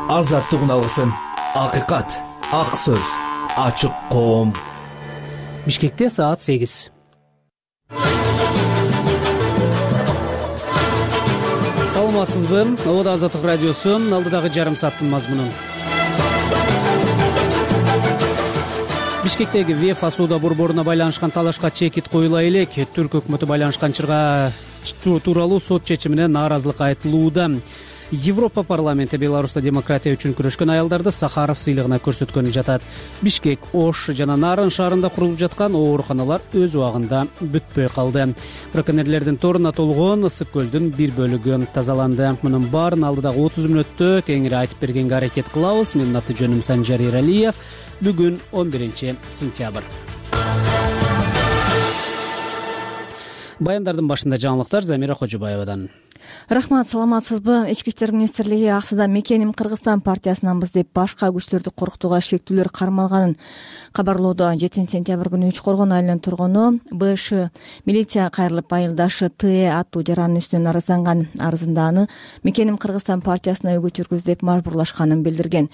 азаттык алгысын, акыйкат, ак сөз, ачык коом. Бишкекте саат 8. Саламатсызбы? Обода Азаттык радиосу алдыдагы жарым сааттын мазмунун. Бишкектеги ВЕФА соода борборуна байланышкан талашка чекит коюла элек. Түрк өкмөтү байланышкан чырга тууралуу сот чечимине нааразылык айтылууда. Европа парламенти Беларуста демократия үчүн күрөшкөн аялдарды Сахаров сыйлыгына көрсөткөнү жатат. Бишкек, Ош жана Нарын шаарында курулуп жаткан ооруканалар өз убагында бүтпөй калды. Браконьерлердин торуна толгон ысык көлдүн бир бөлүгү тазаланды. Мунун баарын алдыдагы 30 мүнөттө кеңири айтып бергенге аракет кылабыз. Менин аты жөнүм Санжар Эралиев. Бүгүн 11 сентябрь. Баяндардын башында жаңылыктар Замира Кожобаевадан. Рахмат, саламатсызбы? Ички иштер министрлиги аксыда мекеним Кыргызстан партиясынанбыз деп башка күчтөрдү коркутууга шектүүлөр кармалганын кабарлоодо. 7 сентябрь күнү Үч Коргон айылынын тургуну БШ милиция кайрылып айылдашы ТЭ аттуу жарандын үстүнөн арызданган. Арызында аны мекеним Кыргызстан партиясына өгүт жүргүз деп мажбурлашканын билдирген.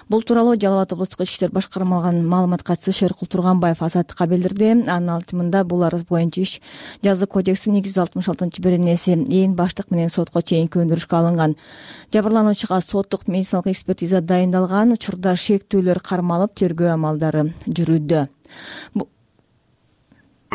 Бул тууралуу Жалал Абад облустук ички иштер башкармалыгынын маалымат катчысы Шеркул Турганбаев Азаттыкка билдирди. Анын айтымында бул арыз боюнча иш жаза кодексинин 266-беренеси ээн баштык менен сотко чейинки өндүрүшкө алынган. Жабырлануучуга соттук медициналык экспертиза дайындалган. Учурда шектүүлөр кармалып тергөө амалдары жүрүүдө.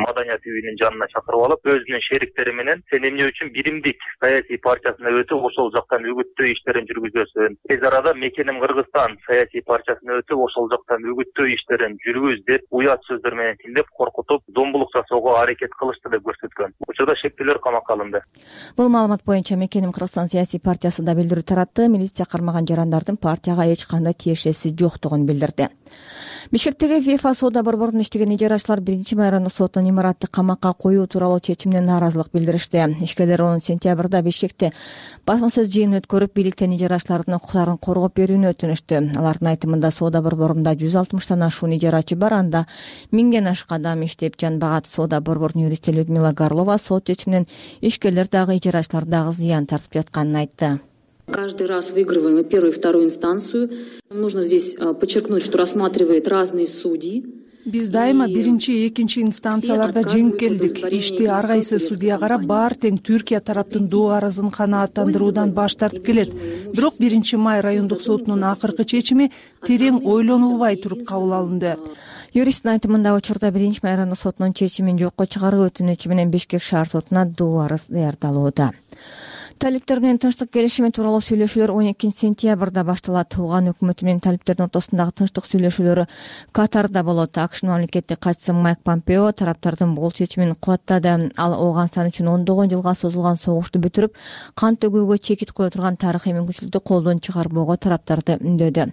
Маданият үйүнүн жанына чакырып алып, өзүнүн шериктери менен сен эмне үчүн биримдик саясий партиясына өтүп, ошол жактан үгүттөө иштерин жүргүзөсүң. Тез арада мекеним Кыргызстан саясий партиясына өтүп, ошол жактан үгүттөө иштерин жүргүз деп уят сөздөр менен тилдеп коркутуп, зомбулук жасоого аракет кылышты деп көрсөткөн. Учурда шектүүлөр камакка алынды. Бул маалымат боюнча мекеним Кыргызстан саясий партиясы да билдирүү таратты. Милиция кармаган жарандардын партияга эч кандай тиешеси жоктугун билдирди. Бишкектеги ВЕФА соода борборунда иштеген ижарачылар 1 райондук соттун имаратты камакка коюу тууралуу чечимине нааразылык билдиришти. Ишкерлер 10 сентябрда Бишкекте басма сөз жыйынын өткөрүп, бийликтен ижарачылардын укуктарын коргоп берүүнү өтүнүштү. Алардын айтымында соода борборунда 160тан ашуун ижарачы бар, анда 1000ден ашык адам иштеп жанбагат. Соода борборунун юристи Людмила Горлова сот чечиминен ишкерлер дагы ижарачылар дагы зыян тартып жатканын айтты. Каждый раз выигрываем и первую, и вторую инстанцию. Нужно здесь подчеркнуть, что рассматривают разные судьи. Биз дайыма биринчи, экинчи инстанцияларда жеңип келдик. Ишти ар кайсы судья карап, баары тең Түркия тараптын доо арызын канааттандыруудан баш тартып келет. Бирок 1 май райондук сотунун акыркы чечими терең ойлонулбай туруп кабыл алынды. Юристтин айтымында учурда 1 май райондук сотунун чечимин жокко чыгаруу өтүнүчү менен Бишкек шаар сотуна доо арыз даярдалууда. Талиптер менен тынчтык келишими тууралуу сүйлөшүүлөр 12 сентябрда башталат. Туган өкмөтү менен талиптердин ортосундагы тынчтык сүйлөшүүлөрү Катарда болот. АКШнын мамлекеттик катчысы Майк Помпео тараптардын бул чечимин кубаттады. Ал Ооганстан үчүн 10 жылга созулган согушту бүтүрүп, кан төгүүгө чекит кое турган тарыхый мүмкүнчүлүктү колдон чыгарбоого тараптарды үндөдү.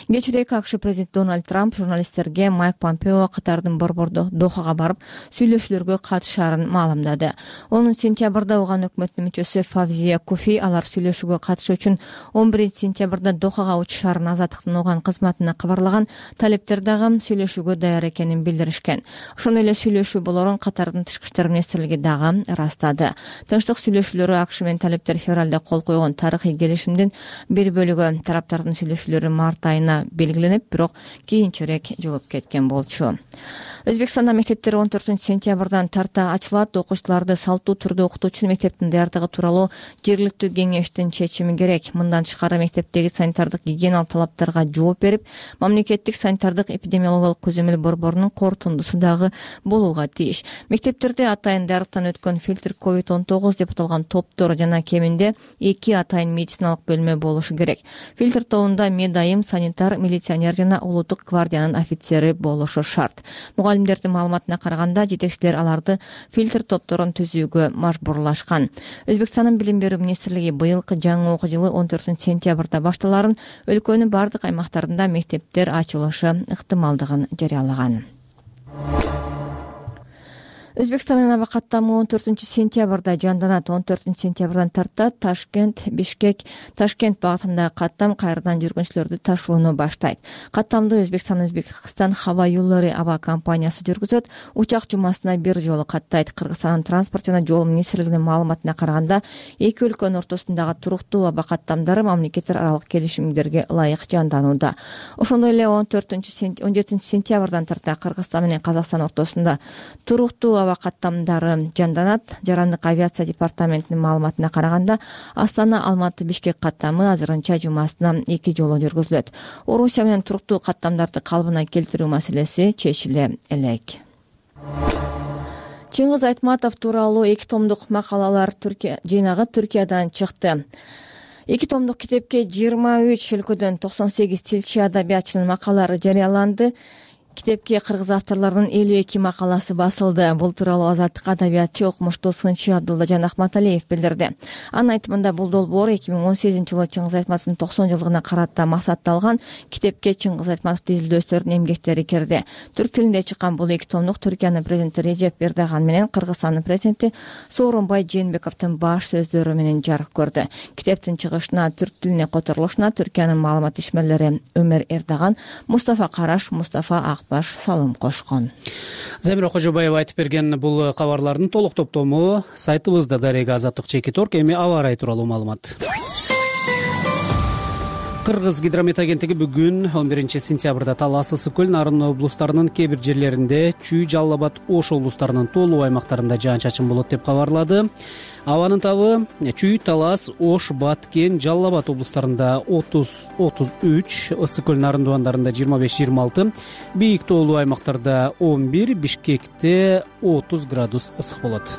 Кечирээк АКШ президенти Дональд Трамп журналисттерге Майк Помпео Катардын борбордо Дохага барып сүйлөшүүлөргө катышаарын маалымдады. 10 сентябрда Ооган өкмөтүнүн мүчөсү Фавзия Куфи алар сүйлөшүүгө катышуу үчүн 11 сентябрда Дохага учушаарын Азаттыктын Ооган кызматына кабарлаган. Талиптер дагы сүйлөшүүгө даяр экенин билдиришкен. Ошондой эле сүйлөшүү болорун Катардын тышкы иштер министрлиги дагы ырастады. Тынчтык сүйлөшүүлөрү АКШ менен талиптер февралда кол койгон тарыхый келишимдин бир бөлүгү. Тараптардын сүйлөшүүлөрү март айына белгиленип, бирок кийинчерээк жылып кеткен болчу. Өзбекстанда мектептер 14 сентябрдан тарта ачылат. Окуучуларды салттуу түрдө окутуучу мектептин даярдыгы тууралуу жергиликтүү кеңештин чечими керек. Мындан тышкары мектептеги санитардык гигиеналык талаптарга жооп берип, мамлекеттик санитардык эпидемиологиялык көзөмөл борборунун корутундусу дагы болууга тийиш. Мектептерде атайын даярдыктан өткөн фильтр COVID-19 деп аталган топтор жана кеминде 2 атайын медициналык бөлмө болушу керек. Фильтр тобунда медайым, санитар, милиционер жана улуттук гвардиянын офицери болушу шарт. Мугалимдердин маалыматына караганда, жетекчилер аларды фильтр топторун түзүүгө мажбурлашкан. Өзбекстандын билим берүү министрлиги быйылкы жаңы окуу жылы 14 сентябрда башталарын, өлкөнүн бардык аймактарында мектептер ачылышы ыктымалдыгын жарыялаган. Өзбекстан менен аба каттамы 14-сентябрда жанданат. 14-сентябрдан тарта Ташкент, Бишкек, Ташкент багытындагы каттам кайрадан жүргүнчүлөрдү ташууну баштайт. Каттамды Өзбекстан хаба юллары аба компаниясы жүргүзөт. Учак жумасына бир жолу каттайт. Кыргызстандын транспорт жана жол министрлигинин маалыматына караганда, эки өлкөнүн ортосундагы туруктуу аба каттамдары мамлекеттер аралык келишимдерге ылайык жанданууда. Ошондой эле 17-сентябрдан тарта Кыргызстан менен Казакстан ортосунда туруктуу аба каттамдары жанданат. Жарандык авиация департаментинин маалыматына караганда, Астана Алматы Бишкек каттамы азырынча жумасына 2 жолу жүргүзүлөт. Орусия менен туруктуу каттамдарды калыбына келтирүү маселеси чечиле элек. Чыңгыз Айтматов тууралуу 2 томдук макалалар жыйнагы Түркиядан чыкты. 2 томдук китепке 23 өлкөдөн 98 тилчи адабиятчынын макалалары жарыяланды. Китепке кыргыз авторлордун 52 макаласы басылды. Бул тууралуу Азаттык адабиятчы, окумуштуу сынчы Абдулла Жан Ахматалиев билдирди. Анын айтымында бул долбоор 2018-жылы Чыңгыз Айтматовдун 90 жылдыгына карата максатталган. Китепке Чыңгыз Айтматовдун изилдөөчүлөрүнүн эмгектери кирди. Түрк тилинде чыккан бул 2 томдук Түркиянын президенти Режеп Эрдоган менен Кыргызстандын президенти Сооронбай Жээнбековдун баш сөздөрү менен жарык көрдү. Китептин чыгышына, түрк тилине которулушуна Түркиянын маалымат ишмерлери Өмөр Эрдоган, Мустафа Караш, Мустафа баш салым кошкон. Замира Кожобаева айтып берген бул кабарлардын толук топтому сайтыбызда Дарега Азаттык.org. Эми аба ырайы тууралуу маалымат. Кыргыз гидромет агенттиги бүгүн 11-сентябрда Талас, Ысык көл, Нарын облустарынын кээ бир жерлеринде, Чүй, Жалал Абад, Ош облустарынын тоолуу аймактарында жаан-чачын болот деп кабарлады. Абанын табы Чүй, Талас, Ош, Баткен, Жалал Абад облустарында 30-33, Ысык көл, Нарын дубандарында 25-26, бийик тоолуу аймактарда 11, Бишкекте 30 градус ысык болот.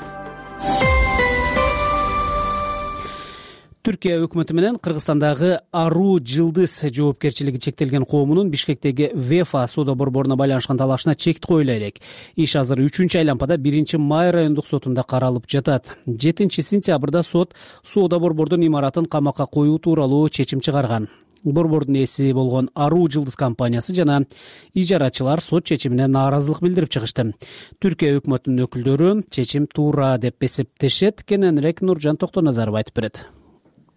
Түркия өкмөтү менен Кыргызстандагы Ару Жылдыз жоопкерчилиги чектелген коомунун Бишкектеги ВЕФА соода борборуна байланышкан талашына чек коюла элек. Иш азыр 3-чү айлампада 1-май райондук сотунда каралып жатат. 7-сентябрда сот соода борбордун имаратын камакка коюу тууралуу чечим чыгарган. Борбордун ээси болгон Ару Жылдыз компаниясы жана ижарачылар сот чечимине нааразылык билдирип чыгышты. Түркия өкмөтүнүн өкүлдөрү чечим туура деп эсептешет. Кененирээк Нуржан Токтоназаров айтып берет.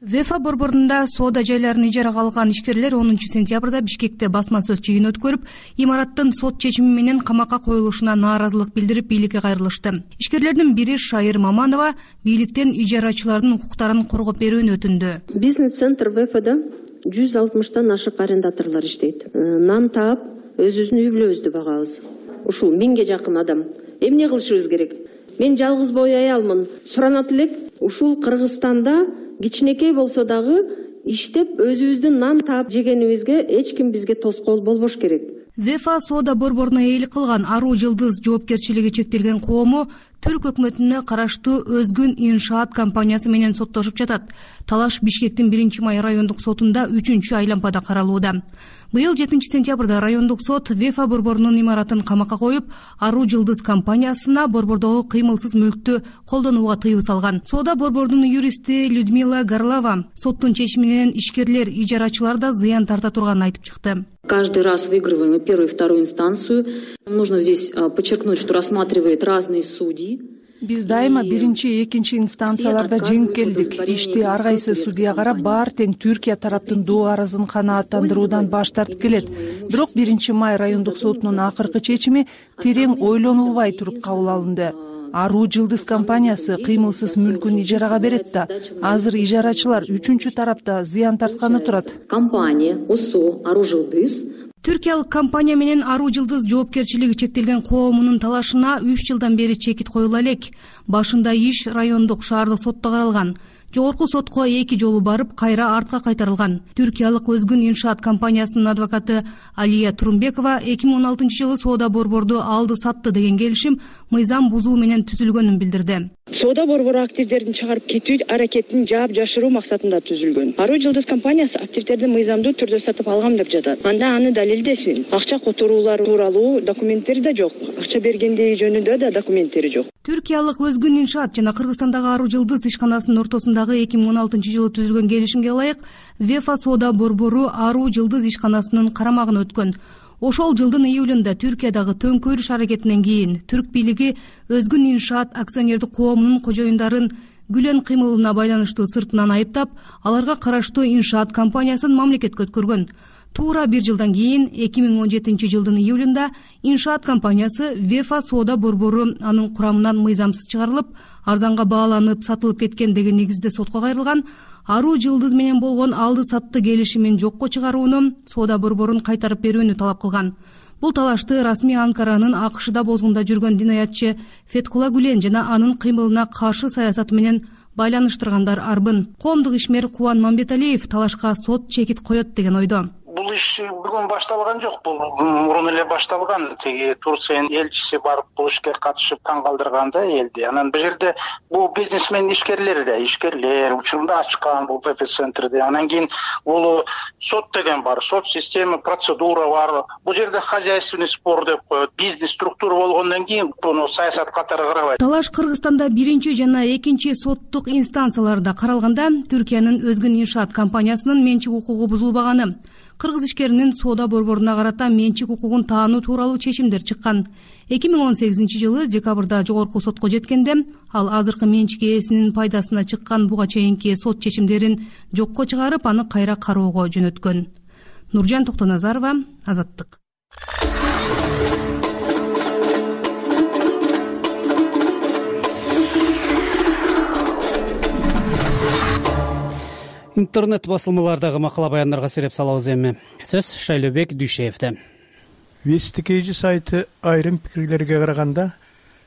ВЕФА борборунда соода жайларын ижарага алган ишкерлер 10-сентябрда Бишкекте басма сөз жыйын өткөрүп, имараттын сот чечими менен камакка коюлушуна нааразылык билдирип бийликке кайрылышты. Ишкерлердин бири Шайыр Маманова бийликтен ижарачылардын укуктарын коргоп берүүнү өтүндү. Бизнес-центр ВЕФАда 160тан ашык арендаторлор иштейт. Нан таап, өзүбүздүн үй бүлөбүздү багабыз. Ушул 1000ге жакын адам. Эмне кылышыбыз керек? Мен жалгыз бой аялмын. Суранат элек, ушул Кыргызстанда кичинекей болсо дагы иштеп өзүбүздүн нан таап жегенибизге эч ким бизге тоскоол болбош керек. ВЕФА соода борборуна ээлик кылган Ару Жылдыз жоопкерчилиги чектелген коому Түрк өкмөтүнө караштуу Өзгүн иншаат компаниясы менен соттошуп жатат. Талаш Бишкектин 1-май райондук сотунда 3-чү айлампада каралууда. Быйыл 7-сентябрда райондук сот ВЕФА борборунун имаратын камакка коюп, Ару Жылдыз компаниясына борбордогу кыймылсыз мүлктү колдонууга тыюу салган. Соода борборунун юристи Людмила Горлова соттун чечиминен ишкерлер, ижарачылар да зыян тарта турганын айтып чыкты. Каждый раз выигрываем и первую, и вторую инстанцию. Нужно здесь подчеркнуть, что рассматривает разные судьи. Биз дайыма 1-чи, 2-чи инстанцияларда жеңип келдик. Ишти ар кайсы судья карап, баары тең Түркия тараптын доо арызын канааттандыруудан баш тартып келет. Бирок 1-май райондук сотунун акыркы чечими терең ойлонулбай туруп кабыл алынды. Ару Жылдыз компаниясы кыймылсыз мүлкүн ижарага берет да, азыр ижарачылар 3-чү тарапта зыян тартканы турат. Компания ОСО Ару Жылдыз Түркиялык компания менен Ару Жылдыз жоопкерчилиги чектелген коомунун талашына 3 жылдан бери чекит коюла элек. Башында иш райондук шаардык сотто каралган. Жогорку сотко 2 жолу барып, кайра артка кайтарылган. Түркиялык Өзгүн иншаат компаниясынын адвокаты Алия Турумбекова 2016-жылы соода борборду алды сатты деген келишим мыйзам бузуу менен түзүлгөнүн билдирди. Соода борбору активдерин чыгарып кетүү аракетин жаап жашыруу максатында түзүлгөн. Ару Жылдыз компаниясы активдерди мыйзамдуу түрдө сатып алган деп жатат. Анда аны далилдесин. Акча которуулар тууралуу документтери да жок. Акча бергендиги жөнүндө да документтери жок. Түркиялык Өзгүн иншаат жана Кыргызстандагы Ару Жылдыз ишканасынын ортосундагы 2016-жылы түзүлгөн келишимге ылайык ВЕФА соода борбору Ару Жылдыз ишканасынын карамагына өткөн. Ошол жылдын июлунда Түркиядагы төңкөрүш аракетинен кийин түрк бийлиги Өзгүн иншаат акционердик коомунун кожоюндарын Гүлен кыймылына байланыштуу сыртынан айыптап, аларга караштуу иншаат компаниясын мамлекетке өткөргөн. Туура бир жылдан кийин 2017 жылдын июлунда иншаат компаниясы Вефа соода борбору анын курамынан мыйзамсыз чыгарылып, арзанга бааланып сатылып кеткен деген негизде сотко кайрылган. Аруу Жылдыз менен болгон алды-сатты келишимин жокко чыгарууну, соода борборун кайтарып берүүнү талап кылган. Бул талашты расмий Анкаранын АКШда бозгунда жүргөн динаятчы Феткула Гүлен жана анын кыймылына каршы саясаты менен байланыштыргандар арбын. Коомдук ишмер Кубан Мамбеталиев талашка сот чекит коет деген ойдо. Бул иш бүгүн башталган жок, бул мурун эле башталган. Тиги Турциянын элчиси барып бул ишке катышып таң калтырганда элди. Анан бул жерде бул бизнесмен ишкерлер учурунда ачкан бул ПП-центрди. Анан кийин бул сот деген бар, сот система, процедура бар. Бул жерде хозяйственный спор деп коет, бизнес структура болгондон кийин буну саясат катары карабайт. Талаш Кыргызстанда биринчи жана экинчи соттук инстанцияларда каралганда Түркиянын Өзгүн иншаат компаниясынын менчик укугу бузулбаганы, кыргыз ишкеринин соода борборуна карата менчик укугун таануу тууралуу чечимдер чыккан. 2018 жылы декабрда жогорку сотко жеткенде, ал азыркы менчик ээсинин пайдасына чыккан буга чейинки сот чечимдерин жокко чыгарып, аны кайра кароого жөнөткөн. Нуржан Токтоназарова, Азаттык. Интернет басылмалардагы макала баяндарга сереп салабыз эми. Сөз Шайлообек Дүйшеевде. Вестикейжи сайты айрым пикирлерге караганда,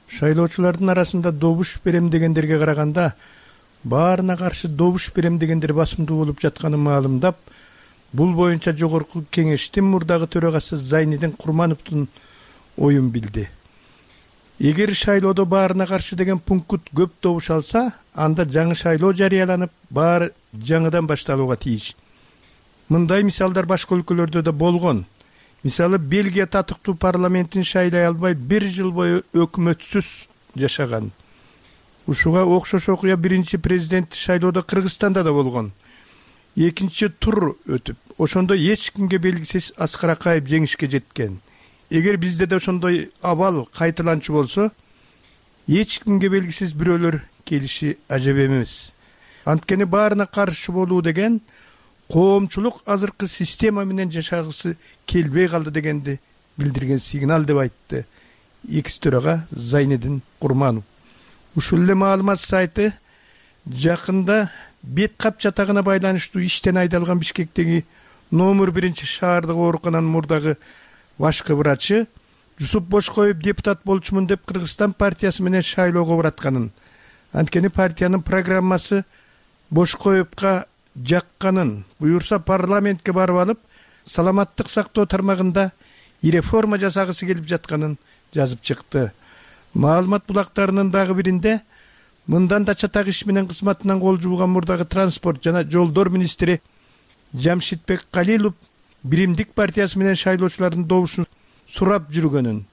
шайлоочулардын арасында добуш берем дегендерге караганда, баарына каршы добуш берем дегендер басымдуу болуп жатканын маалымдап, бул боюнча жогорку кеңештин мурдагы төрагасы Зайнидин Курмановдун оюн билди. Эгер шайлоодо баарына каршы деген пункт көп добуш алса, анда жаңы шайлоо жарыяланып, баары жаңыдан башталууга тийиш. Мындай мисалдар башка өлкөлөрдө да болгон. Мисалы, Бельгия татыктуу парламентин шайлай албай 1 жыл бою өкмөтсүз жашаган. Ушуга окшош окуя биринчи президент шайлоодо Кыргызстанда да болгон. Экинчи тур өтүп, ошондо эч кимге белгисиз Аскар Акаев жеңишке жеткен. Эгер бизде да ошондой абал кайталанчу болсо, эч кимге белгисиз бирөөлөр келиши ажап эмес. Анткени баарына каршы болуу деген коомчулук азыркы система менен жашагысы келбей калды дегенди билдирген сигнал деп айтты экс төрага Зайнидин Курманов. Ушул эле маалымат сайты жакында бет кап жатагына байланыштуу иштен айдалган Бишкектеги номер 1 шаардык оорукананын мурдагы башкы врачы Жусуп Бошкоев депутат болчумун деп Кыргызстан партиясы менен шайлоого баратканын, анткени партиянын программасы Бошкоевка жакканын, буюрса парламентке барып алып, саламаттык сактоо тармагында реформа жасагысы келип жатканын жазып чыкты. Маалымат булактарынын дагы биринде мындан да чатак иш менен кызматынан кол жууган мурдагы транспорт жана жолдор министри Жамшитбек Калилов Биримдик партиясы менен шайлоочулардын добушун сурап жүргөнүн.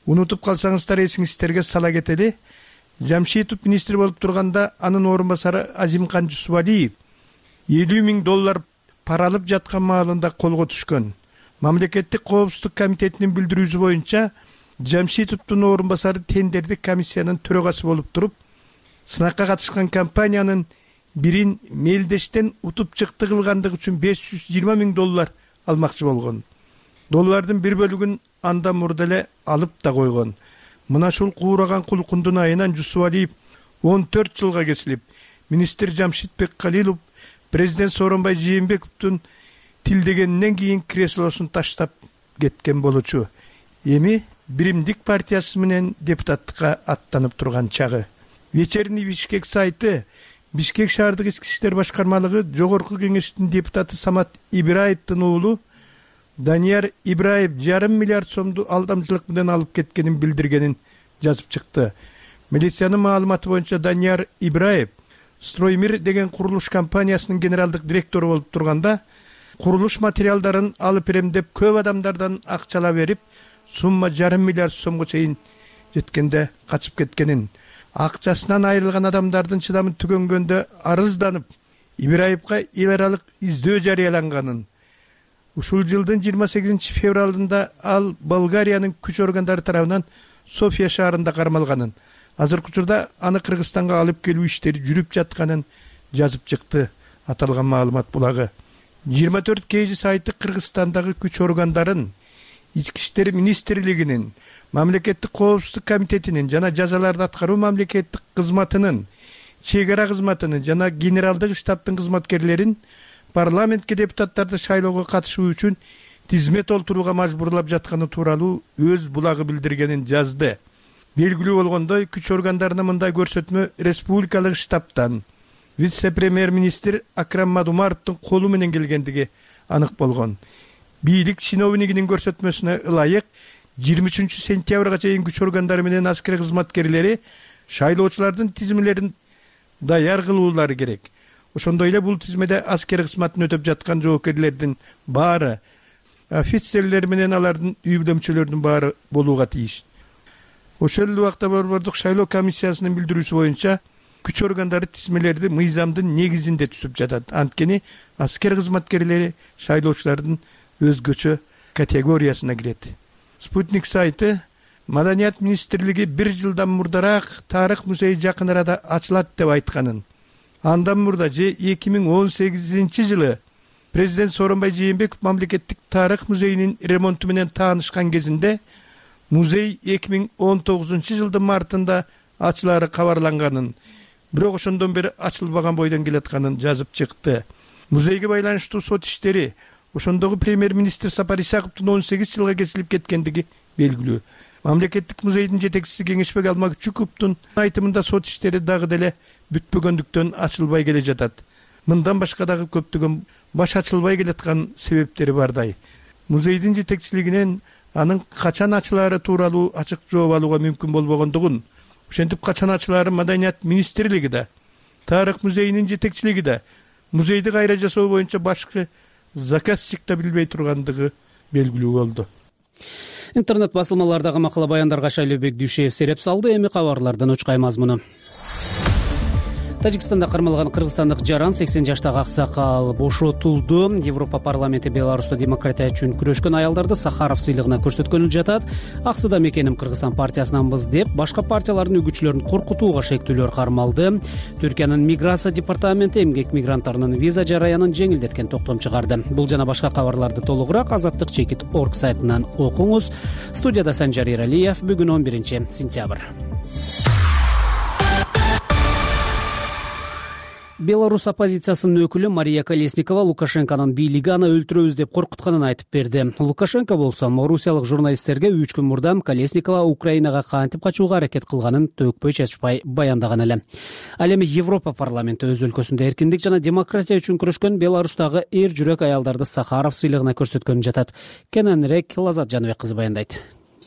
Унутуп калсаңыздар, эсиңиздерге сала кетели. Жамшитов министр болуп турганда анын орун басары Азимкан Жусубалиев $50,000 пара алып жаткан маалында колго түшкөн. Мамлекеттик коопсуздук комитетинин билдирүүсү боюнча Жамшитовдун орун басары тендердик комиссиянын төрагасы болуп туруп, сынакка катышкан компаниянын бирин мелдештен утуп чыкты кылгандыгы үчүн $520,000 алмакчы болгон. Доллардын бир бөлүгүн анда мурда эле алып да койгон. Мына ушул куураган кулкундун айынан Жусубалиев 14 жылга кесилип, министр Жамшитбек Калилов президент Сооронбай Жээнбековдун тилдегенинен кийин креслосун таштап кеткен болчу. Эми Биримдик партиясы менен депутаттыкка аттанып турган чагы. Вечерний Бишкек сайты Бишкек шаардык ички иштер башкармалыгы жогорку кеңештин депутаты Самат Ибраевдин уулу Данияр Ибраев $500 миллиард сомду алдамчылык менен алып кеткенин билдиргенин жазып чыкты. Милициянын маалыматы боюнча Данияр Ибраев Строймир деген курулуш компаниясынын генералдык директору болуп турганда, курулуш материалдарын алып берем деп көп адамдардан акчала берип, сумма $500 миллиард сомго чейин жеткенде качып кеткенин, акчасынан айрылган адамдардын чыдамы түгөнгөндө арызданып, Ибраевка эл аралык издөө жарыяланганын, Ушул жылдын 28 февралында ал Болгариянын күч органдары тарабынан София шаарында кармалганын, азыркы учурда аны Кыргызстанга алып келүү иштери жүрүп жатканын жазып чыкты. Аталган маалымат булагы 24 KG сайты Кыргызстандагы күч органдарын, Ички иштер министрлигинин, Мамлекеттик коопсуздук комитетинин жана жазаларды аткаруу мамлекеттик кызматынын, чек ара кызматынын жана генералдык штабтын кызматкерлерин парламентке депутаттарды шайлоого катышуу үчүн тизме толтурууга мажбурлап жатканы тууралуу өз булагы билдиргенин жазды. Белгилүү болгондой, күч органдарына мындай көрсөтмө республикалык штабтан вице-премьер-министр Акрам Мадумаровдун колу менен келгендиги анык болгон. Бийлик чиновнигинин көрсөтмөсүнө ылайык 23 сентябрга чейин күч органдары менен аскер кызматкерлери шайлоочулардын тизмелерин даяр кылуулары керек. Ошондой эле бул тизмеде аскер кызматын өтөп жаткан жоокерлердин баары, офицерлер менен алардын үй бүлөмчөлөрүнүн баары болууга тийиш. Ошол эле убакта Борбордук шайлоо комиссиясынын билдирүүсү боюнча күч органдары тизмелерди мыйзамдын негизинде түзүп жатат. Анткени аскер кызматкерлери шайлоочулардын өзгөчө категориясына кирет. Спутник сайты Маданият министрлиги 1 жылдан мурдараак тарых музейи жакын арада ачылат деп айтканын, андан мурда же 2018 жылы президент Сооронбай Жээнбеков мамлекеттик тарых музейинин ремонту менен таанышкан кезинде музей 2019 жылдын мартында ачылары кабарланганын, бирок ошондон бери ачылбаган бойдон келатканын жазып чыкты. Музейге байланыштуу сот иштери ошондогу премьер-министр Сапар Исаковдун 18 жылга кесилип кеткендиги белгилүү. Мамлекеттик музейдин жетекчиси Кеңешбек Алмакчуковдун айтымында сот иштери дагы деле бүтпөгөндүктөн ачылбай келе жатат. Мындан башка дагы көптөгөн баш ачылбай келаткан себептери бардай. Музейдин жетекчилигинен анын качан ачылаары тууралуу ачык жооп алууга мүмкүн болбогондугун, ошентип качан ачылаары Маданият министрлиги да, тарых музейинин жетекчилиги да, музейди кайра жасоо боюнча башкы заказчик да билбей тургандыгы белгилүү болду. Интернет басылмалардагы макала баяндарга Шайлообек Дүйшеев сереп салды. Эми кабарлардан учкай мазмуну. Тажикстанда кармалган кыргызстандык жаран 80 жаштагы аксакал бошотулду. Европа парламенти Беларуста демократия үчүн күрөшкөн аялдарды Сахаров сыйлыгына көрсөткөнү жатат. Аксыда мекеним Кыргызстан партиясынанбыз деп башка партиялардын үгүтчүлөрүн коркутууга шектүүлөр кармалды. Түркиянын миграция департаменти эмгек мигранттарынын виза жараянын жеңилдеткен токтом чыгарды. Бул жана башка кабарларды толугураак Азаттык Чекит.org сайтынан окуңуз. Студияда Санжар Эралиев. Бүгүн 11 сентябрь. Беларусь оппозициясынын өкүлү Мария Колесникова Лукашенконун бийлиги аны өлтүрөбүз деп коркутканын айтып берди. Лукашенко болсо орусиялык журналисттерге 3 күн мурда Колесникова Украинага кантип качууга аракет кылганын төкпөй чачпай баяндаган эле. Ал эми Европа парламенти өз өлкөсүндө эркиндик жана демократия үчүн күрөшкөн Беларустагы эр жүрөк аялдарды Сахаров сыйлыгына көрсөткөнү жатат. Кененирээк Лазат Жаныбек кызы баяндайт.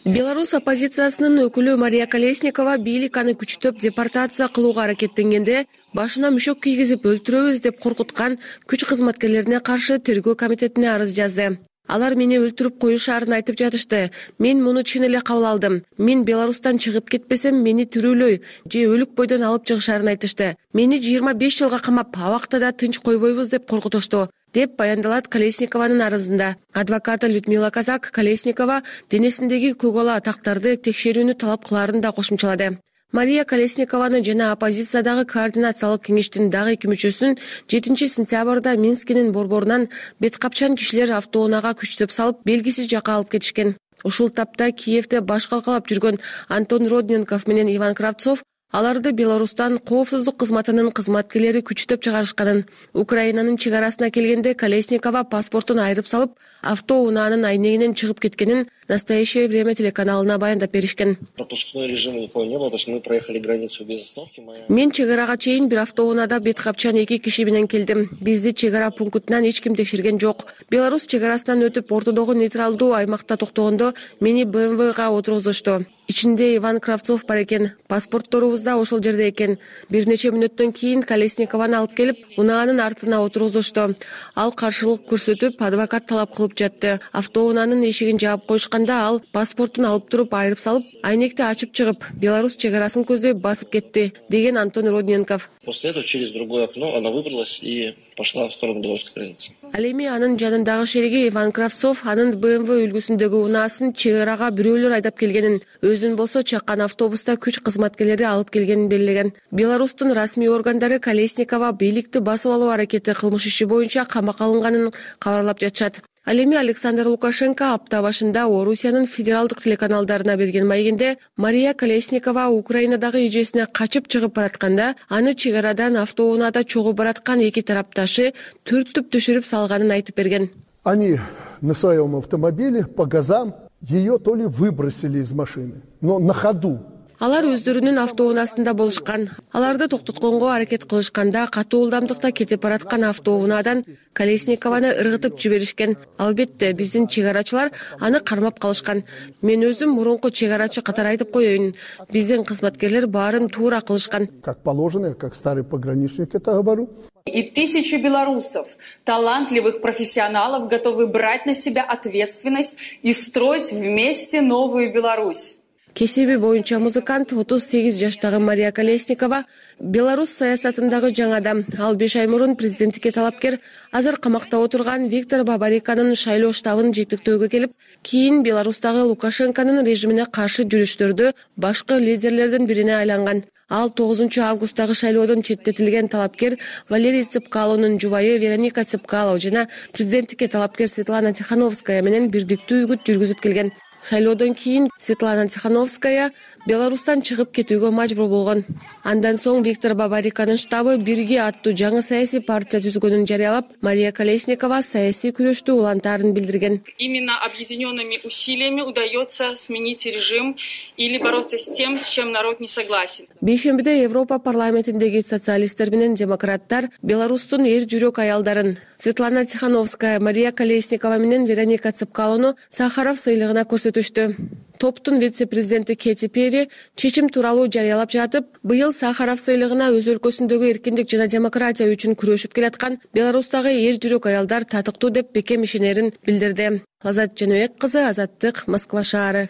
Беларусь оппозициясынын өкүлү Мария Колесникова бийлик аны күчтөп депортация кылууга аракеттенгенде башына мүшөк кийгизип өлтүрөбүз деп коркуткан күч кызматкерлерине каршы тергөө комитетине арыз жазды. Алар мени өлтүрүп коюшаарын айтып жатышты. Мен муну чын эле кабыл алдым. Мен Беларустан чыгып кетпесем, мени тирүүлөй же өлүк бойдон алып чыгышаарын айтышты. Мени 25 жылга камап, абакта да тынч койбойбуз деп коркутушту, деп баяндалат Колесникованын арызында. Адвокаты Людмила Казак Колесникова денесиндеги көк-ала тактарды текшерүүнү талап кылаарын да кошумчалады. Мария Колесникованы жана оппозициядагы координациялык кеңештин дагы 2 мүчөсүн 7 сентябрда Минскинин борборунан бет капчан кишилер автоунаага күчтөп салып, белгисиз жакка алып кетишкен. Ушул тапта Киевде баш калкалап жүргөн Антон Родненков менен Иван Кравцов аларды Беларустан коопсуздук кызматынын кызматкерлери күчтөп чыгарышканын, Украинанын чек арасына келгенде Колесникова паспортун айырып салып, автоунаанын айнегинен чыгып кеткенин «Настоящее время» телеканалына баяндап беришкен. Пропускной режима никого не было, то есть мы проехали границу без остановки. Мен чек арага чейин бир автоунаада бет капчан 2 киши менен келдим. Бизди чек ара пунктунан эч ким текшерген жок. Беларусь чек арасынан өтүп ортодогу нейтралдуу аймакта токтогондо мени БМВга отургузушту. Ичинде Иван Кравцов бар экен. Паспортторубуз да ошол жерде экен. Бир нече мүнөттөн кийин Колесникованы алып келип, унаанын артына отургузушту. Ал каршылык көрсөтүп, адвокат талап кылып жатты. Автоунаанын эшигин жаап коюшкан жатканда ал паспортун алып туруп айырып салып, айнекти ачып чыгып, Беларусь чек арасын көздөй басып кетти, деген Антон Родненков. После этого через другое окно она выбралась и пошла в сторону белорусской границы. Ал эми анын жанындагы шериги Иван Кравцов анын БМВ үлгүсүндөгү унаасын чек арага бирөөлөр айдап келгенин, өзүн болсо чаккан автобуста күч кызматкерлери алып келгенин белгилеген. Беларустун расмий органдары Колесникова бийликти басып алуу аракети кылмыш иши боюнча камакка алынганын кабарлап жатышат. Ал эми Александр Лукашенко апта башында Орусиянын федералдык телеканалдарына берген маегинде Мария Колесникова Украинадагы эжесине качып чыгып баратканда, аны чек арадан автоунаада чогуу бараткан эки тарапташы түртүп түшүрүп салганын айтып берген. Они на своем автомобиле по газам ее то ли выбросили из машины, но на ходу. Алар өздөрүнүн автоунаасында болушкан. Аларды токтотконго аракет кылышканда катуу ылдамдыкта кетип бараткан автоунаадан Колесникованы ыргытып жиберишкен. Албетте, биздин чек арачылар аны кармап калышкан. Мен өзүм мурунку чек арачы катары айтып коеюн. Биздин кызматкерлер баарын туура кылышкан. Как положено, я как старый пограничник это говорю. И тысячи белорусов, талантливых профессионалов, готовы брать на себя ответственность и строить вместе новую Беларусь. Кесиби боюнча музыкант 38 жаштагы Мария Колесникова Беларусь саясатындагы жаңы адам. Ал 5 ай мурун президенттикке талапкер, азыр камакта отурган Виктор Бабариканын шайлоо штабын жетектөөгө келип, кийин Беларустагы Лукашенконун режимине каршы жүрүштөрдө башкы лидерлердин бирине айланган. Ал 9 августтагы шайлоодон четтетилген талапкер Валерий Цепкалонун жубайы Вероника Цепкало жана президенттикке талапкер Светлана Тихановская менен бирдиктүү үгүт жүргүзүп келген. Шайлоодон кийин Светлана Тихановская Беларустан чыгып кетүүгө мажбур болгон. Андан соң Виктор Бабариканын штабы «Бирге» аттуу жаңы саясий партия түзгөнүн жарыялап, Мария Колесникова саясий күрөштү улантаарын билдирген. Именно объединенными усилиями удается сменить режим или бороться с тем, с чем народ не согласен. Бейшембиде Европа парламентиндеги социалисттер менен демократтар Беларустун эр жүрөк аялдарын Светлана Тихановская, Мария Колесникова менен Вероника Цепкалону Сахаров сыйлыгына көрсөтүштү. Топтун вице-президенти Кэти Перри чечим тууралуу жарыялап жатып, быйыл Сахаров сыйлыгына өз өлкөсүндөгү эркиндик жана демократия үчүн күрөшүп келаткан Беларустагы эр жүрөк аялдар татыктуу деп бекем ишенерин билдирди. Азат Жаныбек кызы, Азаттык, Москва шаары.